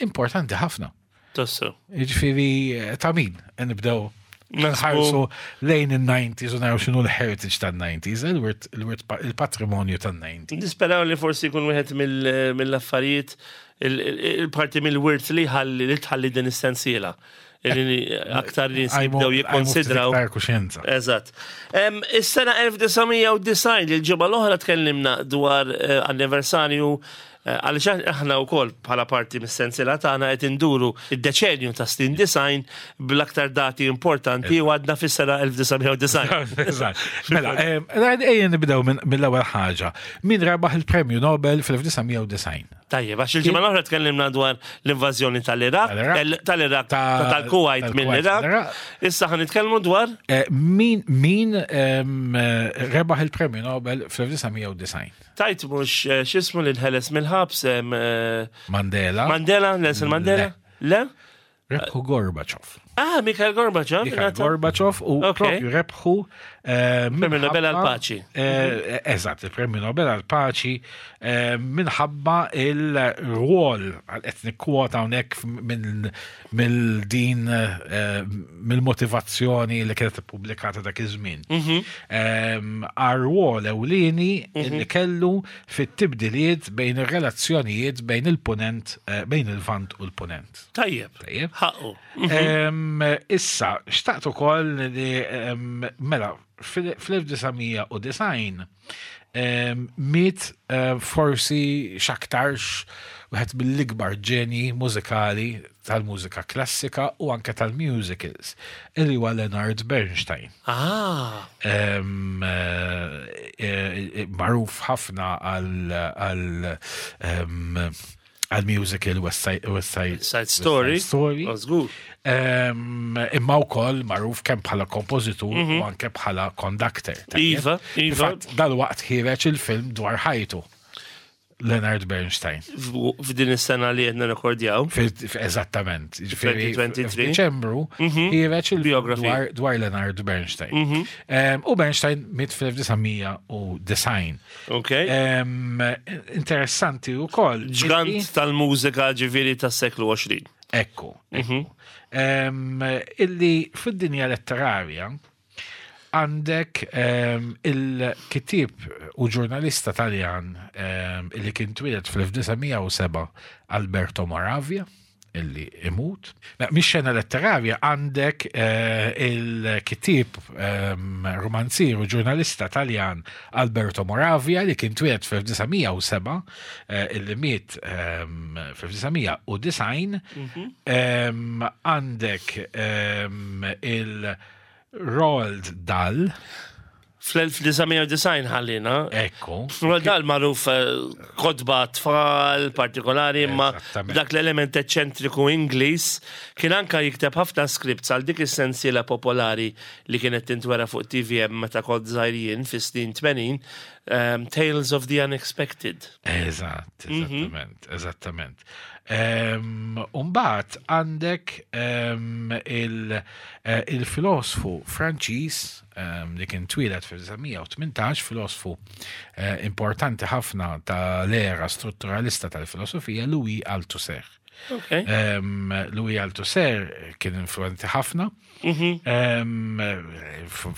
importanti ħafna. Tassu. Jiġifieri ta' min nibdew nħarsu lejn il-90s u naraw x'inhu l-heritage tan-90s, il-patrimonju tan-90s. Nisperaw li forsi jkun wieħed mill-affarijiet il-parti mill-wirt li ħalli li tħalli din is-sensiela. Li aktar li jibdew jikkonsidraw. Iktar kuxjenza. Eżatt. Is-sena 1990, il-ġimgħa l-oħra tkellimna dwar anniversarju għaliex aħna wkoll bħala parti mis-sensiela tagħna qed induru id-deċenju ta' snin 90 bl-aktar dati importanti u għadna fis-sena 1990. Eżatt. Mela, ejja nibdew mill-ewwel ħaġa. Min rebaħ il-Premju Nobel fil-1990? Tajjeb, għax il-ġimgħa l-oħra tkellimna dwar l-invażjoni tal-Iraq, Tal-Iraq. tal-Iraq, tal-Kuwait tal-Kuwait mill-Iraq. mill-Iraq. Issa ħa nitkellmu dwar Min rebaħ il-Premju Nobel fl-1990? Tajt mhux x'ismu li nħeles mill-ħabs Mandela. Mandela, Nelson Mandela? Le? Rebħu Gorbachev. Ah, Mikhail Gorbachev. Mikhail ingħata- Gorbachev u propju rebħu Premju Nobel minħabba- għall-Paċi. Eżatt, il-Premju Nobel għall-Paċi minħabba il-rwol qed nikkwota hawnhekk mill-din mill-motivazzjoni li kienet ippubblikata dak iż-żmien. Għar-rwol ewlieni li kellu fit-tibdiliet bejn ir-relazzjonijiet bejn il-punent, bejn il-Lvant u l-punent. Tajjeb. Tajjeb. Ħaqqu. Issa, xtaqt ukoll li mela fil-1990 miet forsi x'aktarx wieħed mill-ikbar ġeni mużikali tal-mużika klassika u anke tal-musicals, illi huwa Leonard Bernstein. Magħruf ħafna għal musical West Side Side Story. West Side Story. Oh, żgur. Imma wkoll magħruf kemm bħala kompożitur u anke bħala conductor. Tajjeb? Iva. Fil-fatt, dal-waqt ħiereġ il-film dwar ħajtu. Leonard Bernstein. F'din is-sena li qed nirrekordjaw. Eżattament. Ġifieri, 2023. f'Diċembru ħiereġ il-film Biography. dwar Leonard Bernstein. U Bernstein miet fl-1990. Interessanti wkoll. Ġgant tal-mużika ġifieri tas-seklu 20. Ekku. Ekku. Illi fid-dinja letterarja. Għandek il-kittieb u ġurnalista Taljan illi kien twieled fl-1907 Alberto Moravia illi imut. Mix-xena letterarja għandek il-kittieb romanzier u ġurnalista Taljan Alberto Moravia li kien twieled fl-1907 illi miet fl-1990. Għandek il- Roald Dahl. Fl-1990 ħallina. Ekku. Roald Dahl magħruf kotba tfal partikolari imma dak l-element eċċentriku Ingliż kien anka jikteb ħafna scripts għal dik is-sensiela popolari li kienet tintwera fuq TVM meta kont żgħir jien fis-snin 80, Tales of the Unexpected. Eżatt, eżattament, eżattament. Umbat għandek il-filosfu Franċiż li kien twieled fil-1918, filosfu importanti ħafna tal-era strutturalista tal-filosofija, Louis Althusser. Louis Althusser kien influenti ħafna.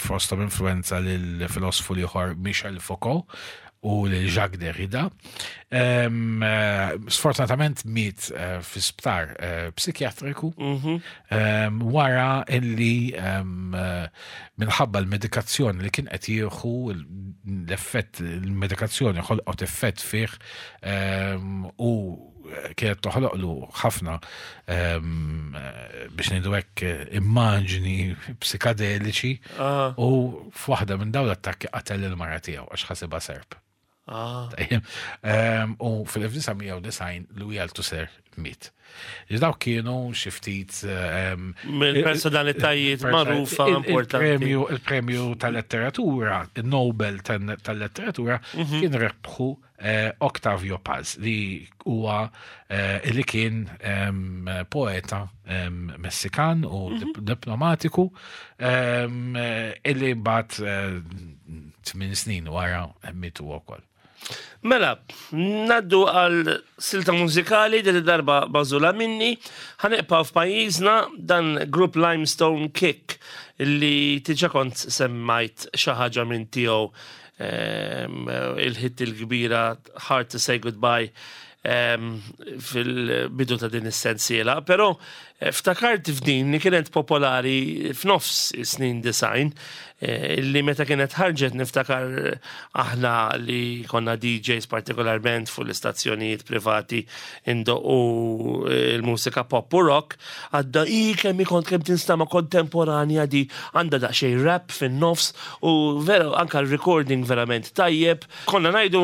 Fosthom influenza lill-filosfu l-ieħor Michel Foucault u lil Jacques Derrida. Sfortunatament miet fi sptar psikjatriku wara illi minħabba l-medikazzjoni li kien qed jieħu l-effett il-medikazzjoni ħolqot effett fih u kienet toħloqlu ħafna biex ngħidu hekk immaġni psikadeliċi u f'waħda minn dawn l-attakki qatel il-mara tiegħu għax ħasibha serp. U fil-1990 Louis Althusser miet. Daw kienu xi ftit mill-personalitajiet magħrufa importanti. Il-premju tal-letteratura, il-Nobel tal-letteratura kien rebħu Octavio Paz li huwa li kien poeta Messikan u diplomatiku illi mbagħad 8 snin wara miet huwa wkoll. Mela, naddu għal silta mużikali din id-darba bażula minni, ħaneqpaw f'pajjiżna dan grupp Limestone Kick li tiġa kont semmajt xi ħaġa minn tiegħu il-hit il-kbira Hard to Say Goodbye fil-bidu ta' din is-sensiela, però ftakart f'din li kienet popolari f'nofs is-snin 90, li meta kienet ħarġet niftakar aħna li konna DJs partikolarment fuq l-istazzjonijiet privati indoqqu il-mużika pop u rock, għadda i kemm kont kemm tinstama kontemporanja di għandha daqsxejn rap fin-nofs u vera anka l-recording verament tajjeb. Konna ngħidu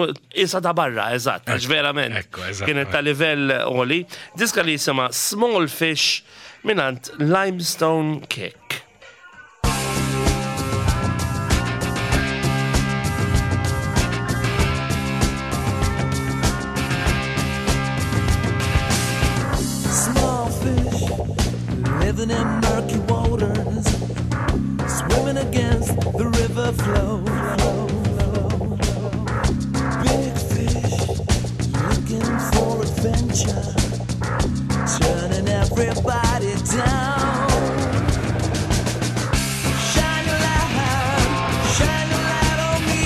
isa ta' barra, eżatt, għax verament kienet ta' livell għoli. Diska li jisimha Small Fish minant Limestone Kick. Small fish living in murky waters, swimming against the river flow. Big fish looking for adventure, turning everybody down. Shine your light, shine your light on me.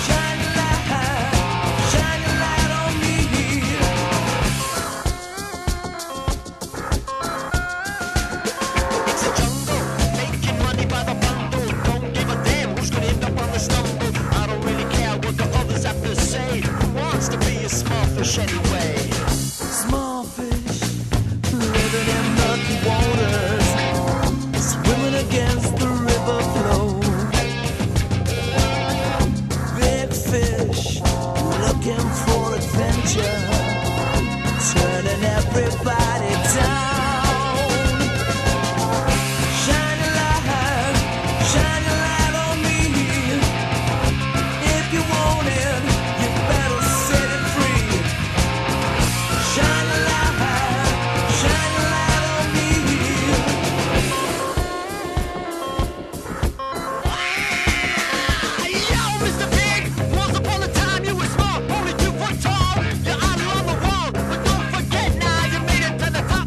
Shine your light, shine your light on me. It's a jungle, making money by the bundle. Don't give a damn who's going to end up on the stumble. I don't really care what the others have to say. Who wants to be a small fish anyway? Small fish living in murky waters, swimming against the river flow. Big fish looking for adventure, turning everybody down. Shine a light, shine a light on me. If you want it, you better set it free. Shine a light, shine a light on me. Yo, Mr. Big, once upon a time you were small, only 2 foot tall. Your idol on the wall, but don't forget now you made it to the top.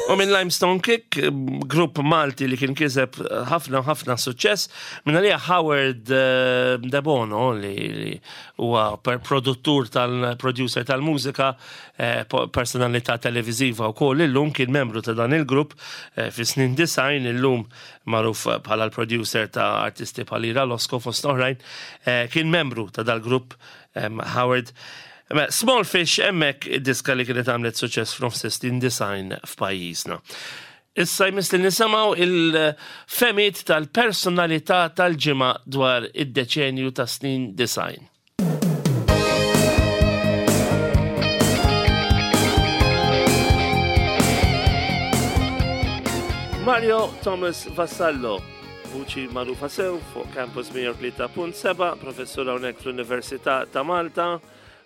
U minn Limestone Kick, grupp Malti li kien kiseb ħafna ħafna suċċess, minn għalija Howard eh, De Bono li huwa produttur tal-producer tal-mużika, eh, personalità televiżiva wkoll illum kien membru ta' dan il-grupp eh, fi snin design illum magħruf bħala l-producer ta' artisti bħal Ira Losco fost oħrajn, kien membru ta' dal-grupp Howard. Small Fish hemmhekk id-diska li kienet għamlet suċċess f'nofs snin design f'pajjiżna. Issa jmiss li nisimgħu il-femiet tal-personalità tal-ġimgħa dwar id-deċenju ta' snin design. Mario Thomas Vassallo, vuċi magħrufa sew fuq Campus 103.7, professur hawnhekk fl-Università ta' Malta.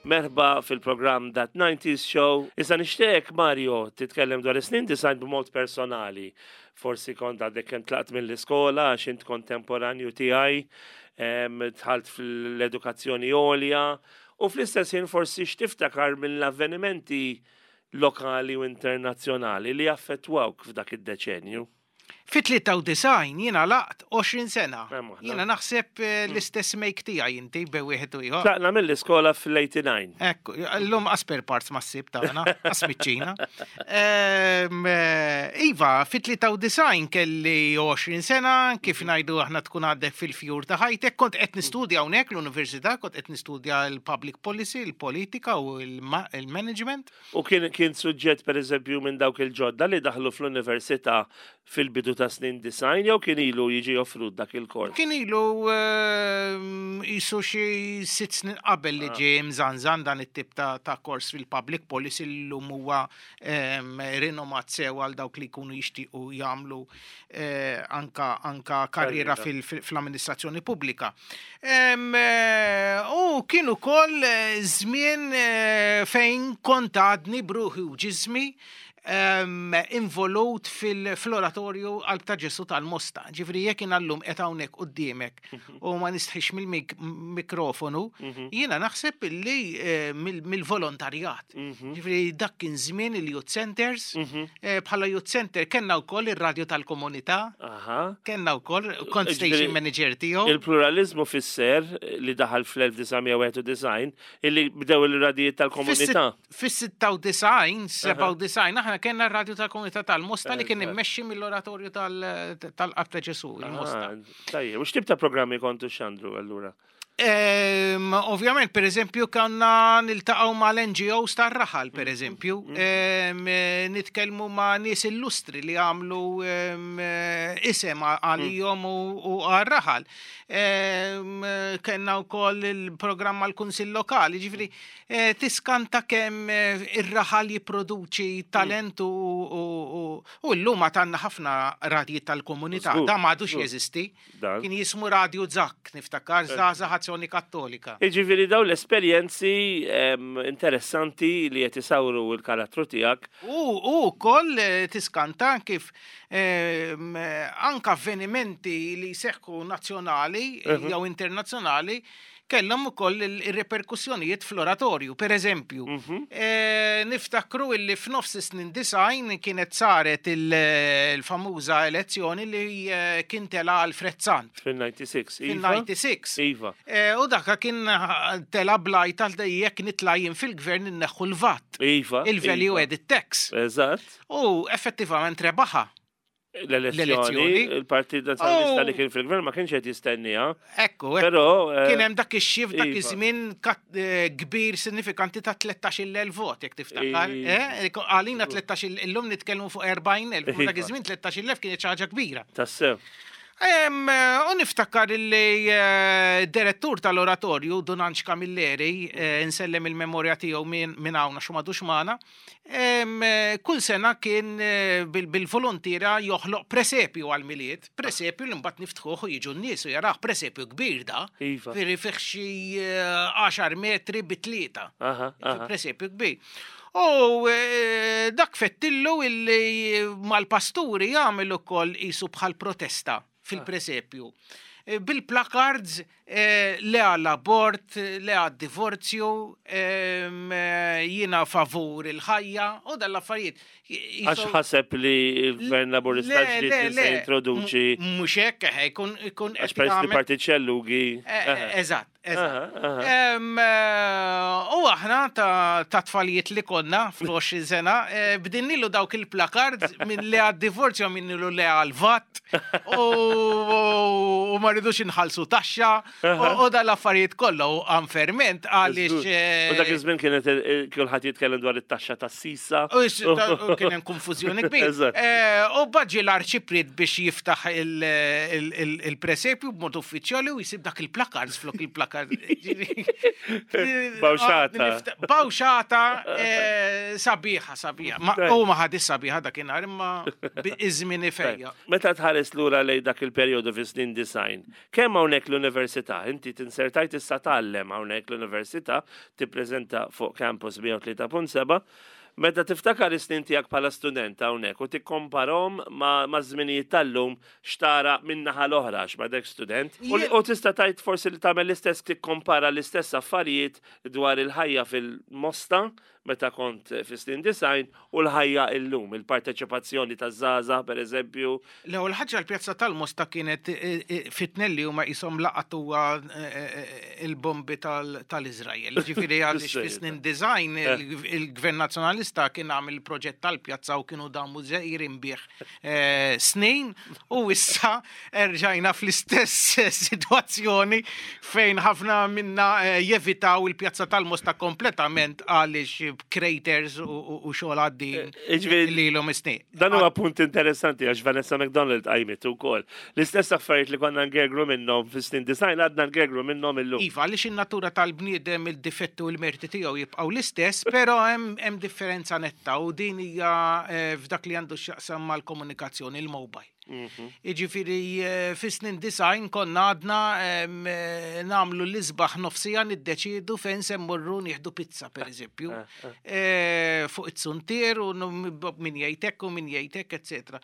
Merħba fil-programm That 90s Show. Issa nixtieq Mario titkellem dwar is-snin design b'mod personali. Forsi kont għadek kemm tlaqt mill-iskola għax int kontemporanju tiegħi, dħalt fl-edukazzjoni għolja u fl-istess ħin forsi x'tiftakar mill-avvenimenti lokali u internazzjonali li affettwawk f'dak id-deċenju. Fit-93 jiena laqt 20 sena. Jiena naħseb eh, mm. l-istess make tiegħi inti bej wieħed u ieħor. Tlaqna mill-iskola fl-89. Ekku, llum asper parts ma ssib tagħna, asmiċċina. Ehm, eh, iva, fit-93 kelli 20 sena, kif ngħidu aħna tkun għaddek fil-fjur ta' ħajtek, kont qed nistudja hawnhekk l-università, kont qed nistudja l-public policy, il-politika u l-management. U kien kien suġġett pereżempju minn dawk il-ġodda li daħlu fl-università fil-bidu ta' snin 90 jew kien ilu jiġi offrut dak il-kors? Kien ilu qisu xi sitt snin qabel li ġie mżanżan dan it-tip ta' ta' kors fil-public policy li llum huwa rinomat sew għal dawk li jkunu jixtiequ jagħmlu anka anka karriera fl-amministrazzjoni pubblika. U kien ukoll żmien fejn kont għadni bruħi u ġismi involut fil-oratorju Qalb ta' Ġesu tal-Mosta. Ġifri jekk jien llum qed hawnhekk quddiemek mhm. u ma nistħix mill-mikrofonu, mhm. jiena naħseb illi eh, mill-volontarjat. Mhm. Ġifri dak kien żmien il-youth centers, eh, bħala youth center kellna wkoll ir-radju tal-komunità. Kellna wkoll kont station manager tiegħu. Il-pluralizmu fisser li daħal fl-1991 illi bdew il-radijiet tal-komunità. Fis-96, 97, aħna kellna r-radju tal-komunità tal-Mosta li kien immexxi mill-oratorju tal-Qalb ta' Ġesu, il-Mosta. Ah, tajjeb, u x'tip ta' programmi kontu xandru allura? Ovvjament, per eżempju, kanna niltaqgħu mal-NGOs tar-raħal, per mm-hmm. eżempju, mm-hmm. Eh, nitkellmu ma' nies illustri li għamlu eh, isem għalihom mm. u għar-raħal. Kenna wkoll il-programm għall-Kunsill Lokali, ġifieri eh, tiskanta kemm ir-raħal jipproduċi talent u llum għad għandna ħafna radji tal-komunità, da m'għadux jeżisti. Dan. Kien jismu Radio Zak, niftakar, Żgħażagħ Azzjoni Kattolika. Jiġifieri dawn l-esperjenzi interessanti li qed isawru l-karattru tiegħek. U wkoll eh, tiskanta kif anka avvenimenti li jseħħu nazzjonali mhm. jew internazzjonali kellhom ukoll ir-reperkussjonijiet fl-oratorju. Per eżempju, mhm. eh, niftakru illi f'nofs is-snin design kienet saret il-famuża elezzjoni li eh, kien tela Alfred Sant. Fil-96. Iva. Fil-96. Iva. Eh, u dakka kien tela blajt għal jekk nitla' jien fil-gvern inneħħu l-VAT. Iva. Il-value iva. added tax. Eżatt. U effettivament rebaħa. L-elezzjoni, il-Partit Nazzjonalista li kien fil-gvern ma kienx qed jistenniha. Ekku, però eh, kien hemm dak ix-xif dak iva. iż-żmien eh, kbir sinifikanti ta' 13,000 vot jekk tiftakar. Eh, għalina 13 illum nitkellmu fuq 40,000, dak iva. iż-żmien 13,000 kienet xi ħaġa kbira. Tassew. U niftakar li direttur tal-oratorju, Dun Anġ Camilleri, insellem il-memorja tiegħu minn hawn għax m'għadux magħna, Kull sena kien eh, bil-volontiera joħloq presepju għal-miliet, presepju li mbagħad niftħuh u jiġu n-nies u jaraħ presepju kbir da. Iva. Firri fih xi 10 eh, metri bi tlieta. Presepju kbir. U eh, dak fettillu illi mal-pasturi jagħmel ukoll qisu bħal protesta fil-presepju. bil-placards le għall-abort, le għad-divorzju, jiena favur il-ħajja u dal-affarijiet. Għax ħaseb li l-Gvern Laburista ġdid kien se jintroduċi. Mhux hekk, jkun ikun Għax peress li partit xellugi. Eżatt, eżatt. U aħna ta' tfalijiet li konna fl-20 sena, bdinnilu dawk il-placards minn le għad-divorzju minnilu le għal-VAT u ma rridux inħallsu taxxa u dal-affarijiet kollha u għanferment għaliex. U dak iż-żmien kienet kulħadd jitkellem dwar it-taxxa tas-sisa. U kien hemm konfużjoni kbira. U baġi l-arċipriet biex jiftaħ il-presepju b'mod uffiċjali u jsib dak il-placards flok il-placard. Bawxata. Bawxata sabiħa, sabiħa. U ma ħadis sabiħa dakinhar imma iż-żmien ifejja. Meta tħares lura lej dak il-perjodu fi snin design, kemm hawnhekk l-università, inti tinsertajt issa tgħallem hawnhekk l-università, tippreżenta fuq campus 103.7, meta tiftakar is-snin tiegħek bħala student hawnhekk u tikkomparhom ma' żminijiet tal-lum x'tara min-naħa l-oħra għax m'għadekx student. U tista' tgħid forsi li tagħmel l-istess tikkompara l-istess affarijiet dwar il-ħajja fil-Mosta meta kont fi snin design u l-ħajja illum, il-parteċipazzjoni taż-żgħażagħ pereżempju. L-ewwel ħaġa l-pjazza tal-Mosta kienet fitnelli huma qishom laqatuha il-bombi tal-Iżrael. Ġifieri għaliex fi snin design il-Gvern Nazzjonalista kien għamel il-proġett tal-pjazza u kienu damu żejrin bih snin u issa erġajna fl-istess sitwazzjoni fejn ħafna minna jevitaw il-pjazza tal-Mosta kompletament għaliex craters u xogħol għaddin li l-hom snin. Dan huwa punt interessanti għax Vanessa McDonald qajmet ukoll. L-istess affarijiet li konna ngergru minnhom fis-snin design għadna ngergru minnhom illum. Iva, għaliex in-natura tal-bniedem il-difetti u l-merti tiegħu jibqgħu l-istess, però hemm differenza netta u din hija f'dak li għandu x'jaqsam mal-komunikazzjoni, il-mobile. Jiġifieri fis-snin design konna għadna nagħmlu l-isbaħ nofsija niddeċiedu fejn se mmorru nieħdu pizza pereżempju. Fuq it-suntier u min jgħid hekk u min jgħid hekk, eċetera.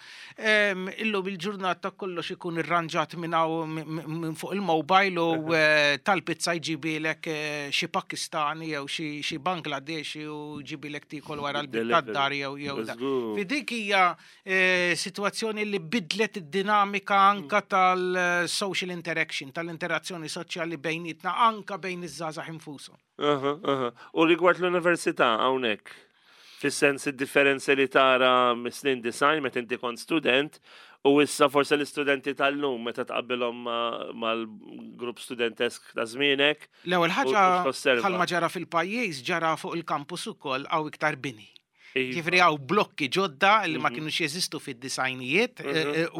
Illum il-ġurnata kollox ikun irranġat minn hawn minn fuq il-mobile u tal-pizza jġibilek xi Pakistani jew xi Bangladeshi u jġibilek tiekol wara l-bib tad-dar jew da. Fi dik hija sitwazzjoni li bidlet id-dinamika anka tal-social interaction, tal-interazzjoni soċjali bejnietna, anka bejn iż-żgħażagħ infushom. U rigward l-università hawnhekk, fis-sens id-differenzi li tara mis-snin design meta inti kont student u issa forse l-istudenti tal-lum meta tqabbilhom mal-grupp studentesk ta' żmienek. L-ewwel ħaġa U x'tosserva? bħalma ġara fil-pajjiż ġara fuq il-kampus ukoll hawn iktar bini. Ġifieri hawn blokki ġodda li ma kienux jeżistu fid-disajnijiet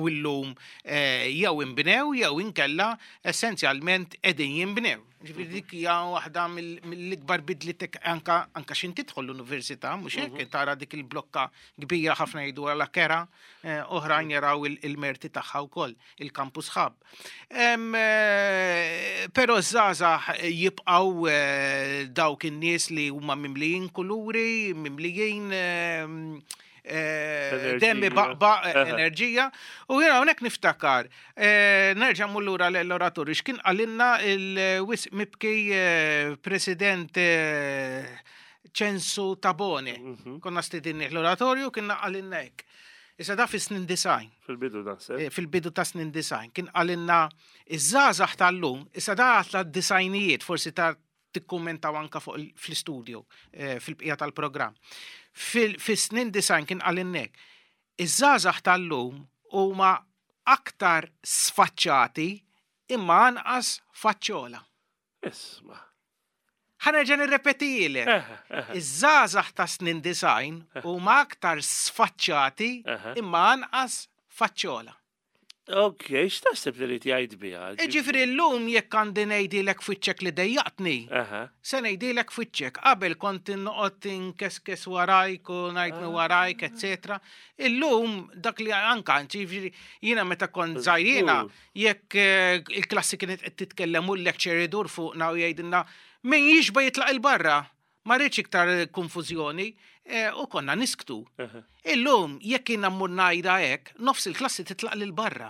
u llum jew inbnew jew inkella essenzjalment qegħdin jinbnew. Ġifieri dik hija waħda mill-ikbar bidliet anka x'in tidħol l-università, mhux hekk tara dik il-blokka kbira ħafna jgħidu għala kera, oħrajn jaraw il-merti tagħha wkoll, il-campus hub. Però żgħażagħ jibqgħu dawk in-nies li huma mimlijin kuluri, mimlijin demmi baqbaq enerġija. U jiena hawnhekk niftakar, nerġa' mmur lura l-oratorju, x'kien qalilna il-wisq mibki President Ċensu Tabone. Konna stidinni l-oratorju, kien qalilna hekk. Issa da fi snin design. Fil-bidu naħseb. Fil-bidu ta' snin design. Kien qalilna iż-żgħażagħ tal-lum, issa da għatla disajnijiet, forsi ta' tikkummentaw anka fuq fl-istudio, fil-bqija tal-programm. Fis-snin design kien qalilna hekk, iż-żgħażagħ tal-lum huma aktar sfaċċati imma anqas faċċola. Isma'. Ħa nerġa' nirrepetijilek. Iż-żgħażagħ ta' snin design huma aktar sfaċċati imma anqas faċċola. Ok, x'taħseb li rid jgħid biha? Ġifieri llum jekk għandi ngħidilek f'wiċċek li dejjaqtni, se ngħidilek f'wiċċek. Qabel kont noqgħod inkeskes warajk u ngħid minn warajk, eċetera. Illum dak li anka, ġifieri jiena meta kont żgħir jiena, jekk il-klassi kienet qed titkellem u l-lecture idur fuqna u jgħidilna min jixba jitlaq il-barra, ma rridx iktar konfużjoni. U konna nisktu. Illum, jekk jiena mmur ngħidha hekk, nofs il-klassi titlaq lil barra.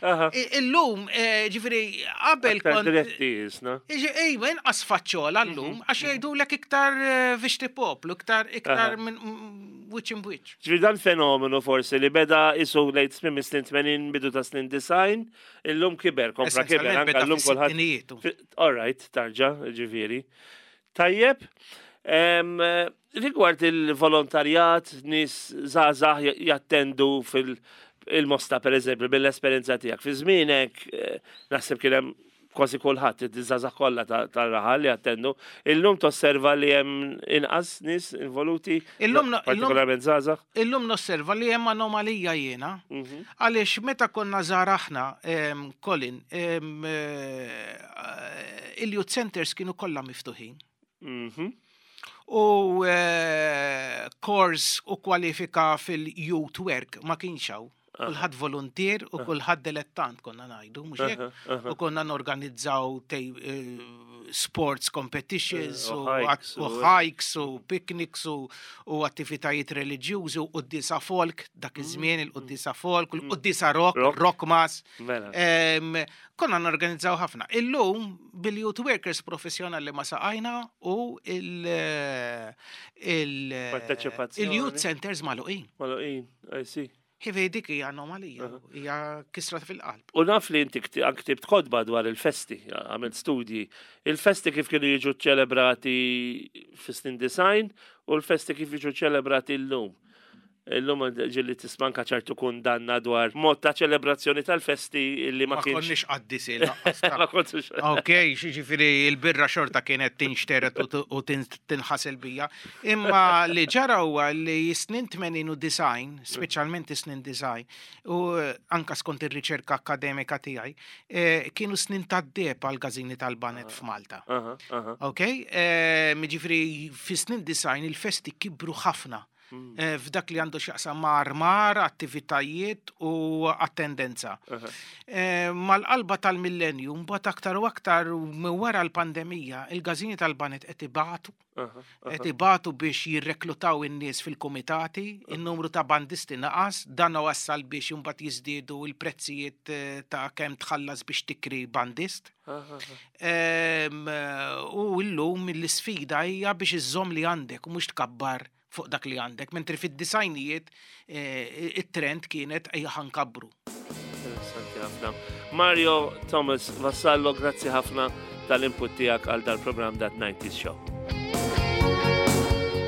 Illum, ġifieri, qabel kont. Diretti jisna. Ejwa, inqas faċċola llum, għax jgħidulek iktar vixti poplu, iktar iktar minn wiċċ imbwiċċ. Ġifieri dan fenomenu forsi li beda isu lejt tmiem is-snin 80 bidu ta' snin 90, illum kiber, kompla kiber, anke llum kulħadd. All right, tarġa, ġifieri. Tajjeb, rigward il-volontarjat, nies żgħażagħ jattendu fil-Mosta per eżempju, mill-esperjenza tiegħek. Fi żmienek, eh, naħseb kien hemm kważi kulħadd, iż-żgħażagħ kollha tar-raħal li jattendu. Illum tosserva li hemm inqas nies involuti, Illum partikolarment żgħażagħ? Illum nosserva li hemm anomalija jiena. Għaliex meta konna żgħar aħna, Colin, eh, il-youth centers kienu kollha miftuħin. U eh, kors u kwalifika fil-youth work ma kienx hawn. Kulħadd voluntier u kulħadd dilettant konna ngħidu, mhux hekk? U konna norganizzaw eh, sports competitions u hikes u picnics u attivitajiet reliġjużi u quddisa folk, dak iż-żmien il-quddisa folk, u l-quddisa rock, rock mass. Mela. Konna norganizzaw ħafna. Illum bil-youth workers professjonali ma saqajna u il- il-youth centers magħluqin. Magħluqin, I see. Ħivi dik hija anomalija, hija kisra fil-qalb. U naf li inti ktibt kotba dwar il-festi, għamilt studji. Il-festi kif kienu jiġu ċelebrati fis-snin design u l-festi kif jiġu ċelebrati llum. Illum ġilli tismanka ċertu kundanna dwar mod ta' ċelebrazzjoni tal-festi li ma kienx. Ma konniex qaddisin. Ma kontux. Ok, ġifieri il-birra xorta kienet tinxteret u tinħasel bija. Imma li ġara huwa li snin 80 u design, speċjalment is-snin design, u eh, anka skont ir-riċerka akademika tiegħi, eh, kienu snin tad-deb għal gażini tal-banet f'Malta. Ok? Eh, ġifieri fi snin design il-festi kibru ħafna. Eh, f'dak li għandu x'jaqsam ma' armar, attivitajiet u attendenza. Eh, mal-qalba tal-millenju, mbagħad aktar u aktar minn wara l-pandemija, il-gażini tal-banet qed ibatu qed ibatu biex jirreklutaw in-nies fil-kumitati, in-numru ta' bandisti naqas, dan wassal biex imbagħad jiżdiedu l-prezzijiet eh, ta' kemm tħallas biex tikri bandist. Ehm, u llum l-isfida hija biex iżżomm li għandek u mhux tkabbar fuq dak li għandek, mentri fid-disajnijiet eh, it-trend kienet ejja ħankabbru. Interessanti ħafna. Mario Thomas Vassallo, grazzi ħafna tal-input tiegħek għal dal-programm Dat 90s Show.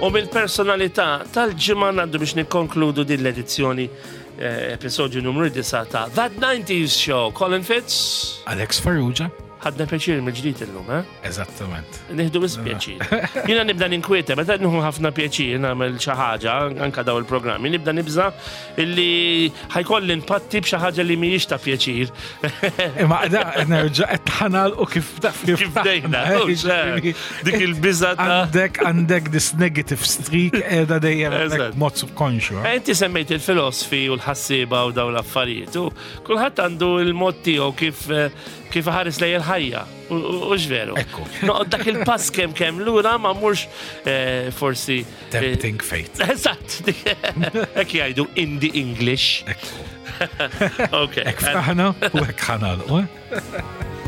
U mill-personalità tal-ġimgħa ngħaddu biex nikkonkludu din l-edizzjoni eh, episodju numru 9 ta' That 90s Show. Colin Fitz. Alex Farrugia. Ħadna pjaċir mill-ġdid illum, eh? Eżattament. Nieħdu biss pjaċir. Jiena nibda ninkwieta, meta nieħu ħafna pjaċir nagħmel xi ħaġa, anka daw il-programmi, nibda nibża illi ħajkolli npatti b'xi ħaġa li mhijiex ta' pjaċir. Imma da nerġa' qed ħanal u kif taf kif bdejna. Eh, dik il-biża ta' għandek għandek this negative streak qiegħda dejjem mod subkonxju. Eh? Inti semmejt il-filosfi u l-ħassieba u dawn l-affarijiet. U kulħadd għandu l-mod tiegħu kif eh, Kif ħares lej il-ħajja, u veru. Ekku. Noqgħod dak il-pass kemm kemm lura ma mhux eh, forsi. Eh, Tempting fate. Eżatt. Hekk jgħidu in the English. Ekku. Ok. Hekk ftaħna u hekk ħanalqu. Eh?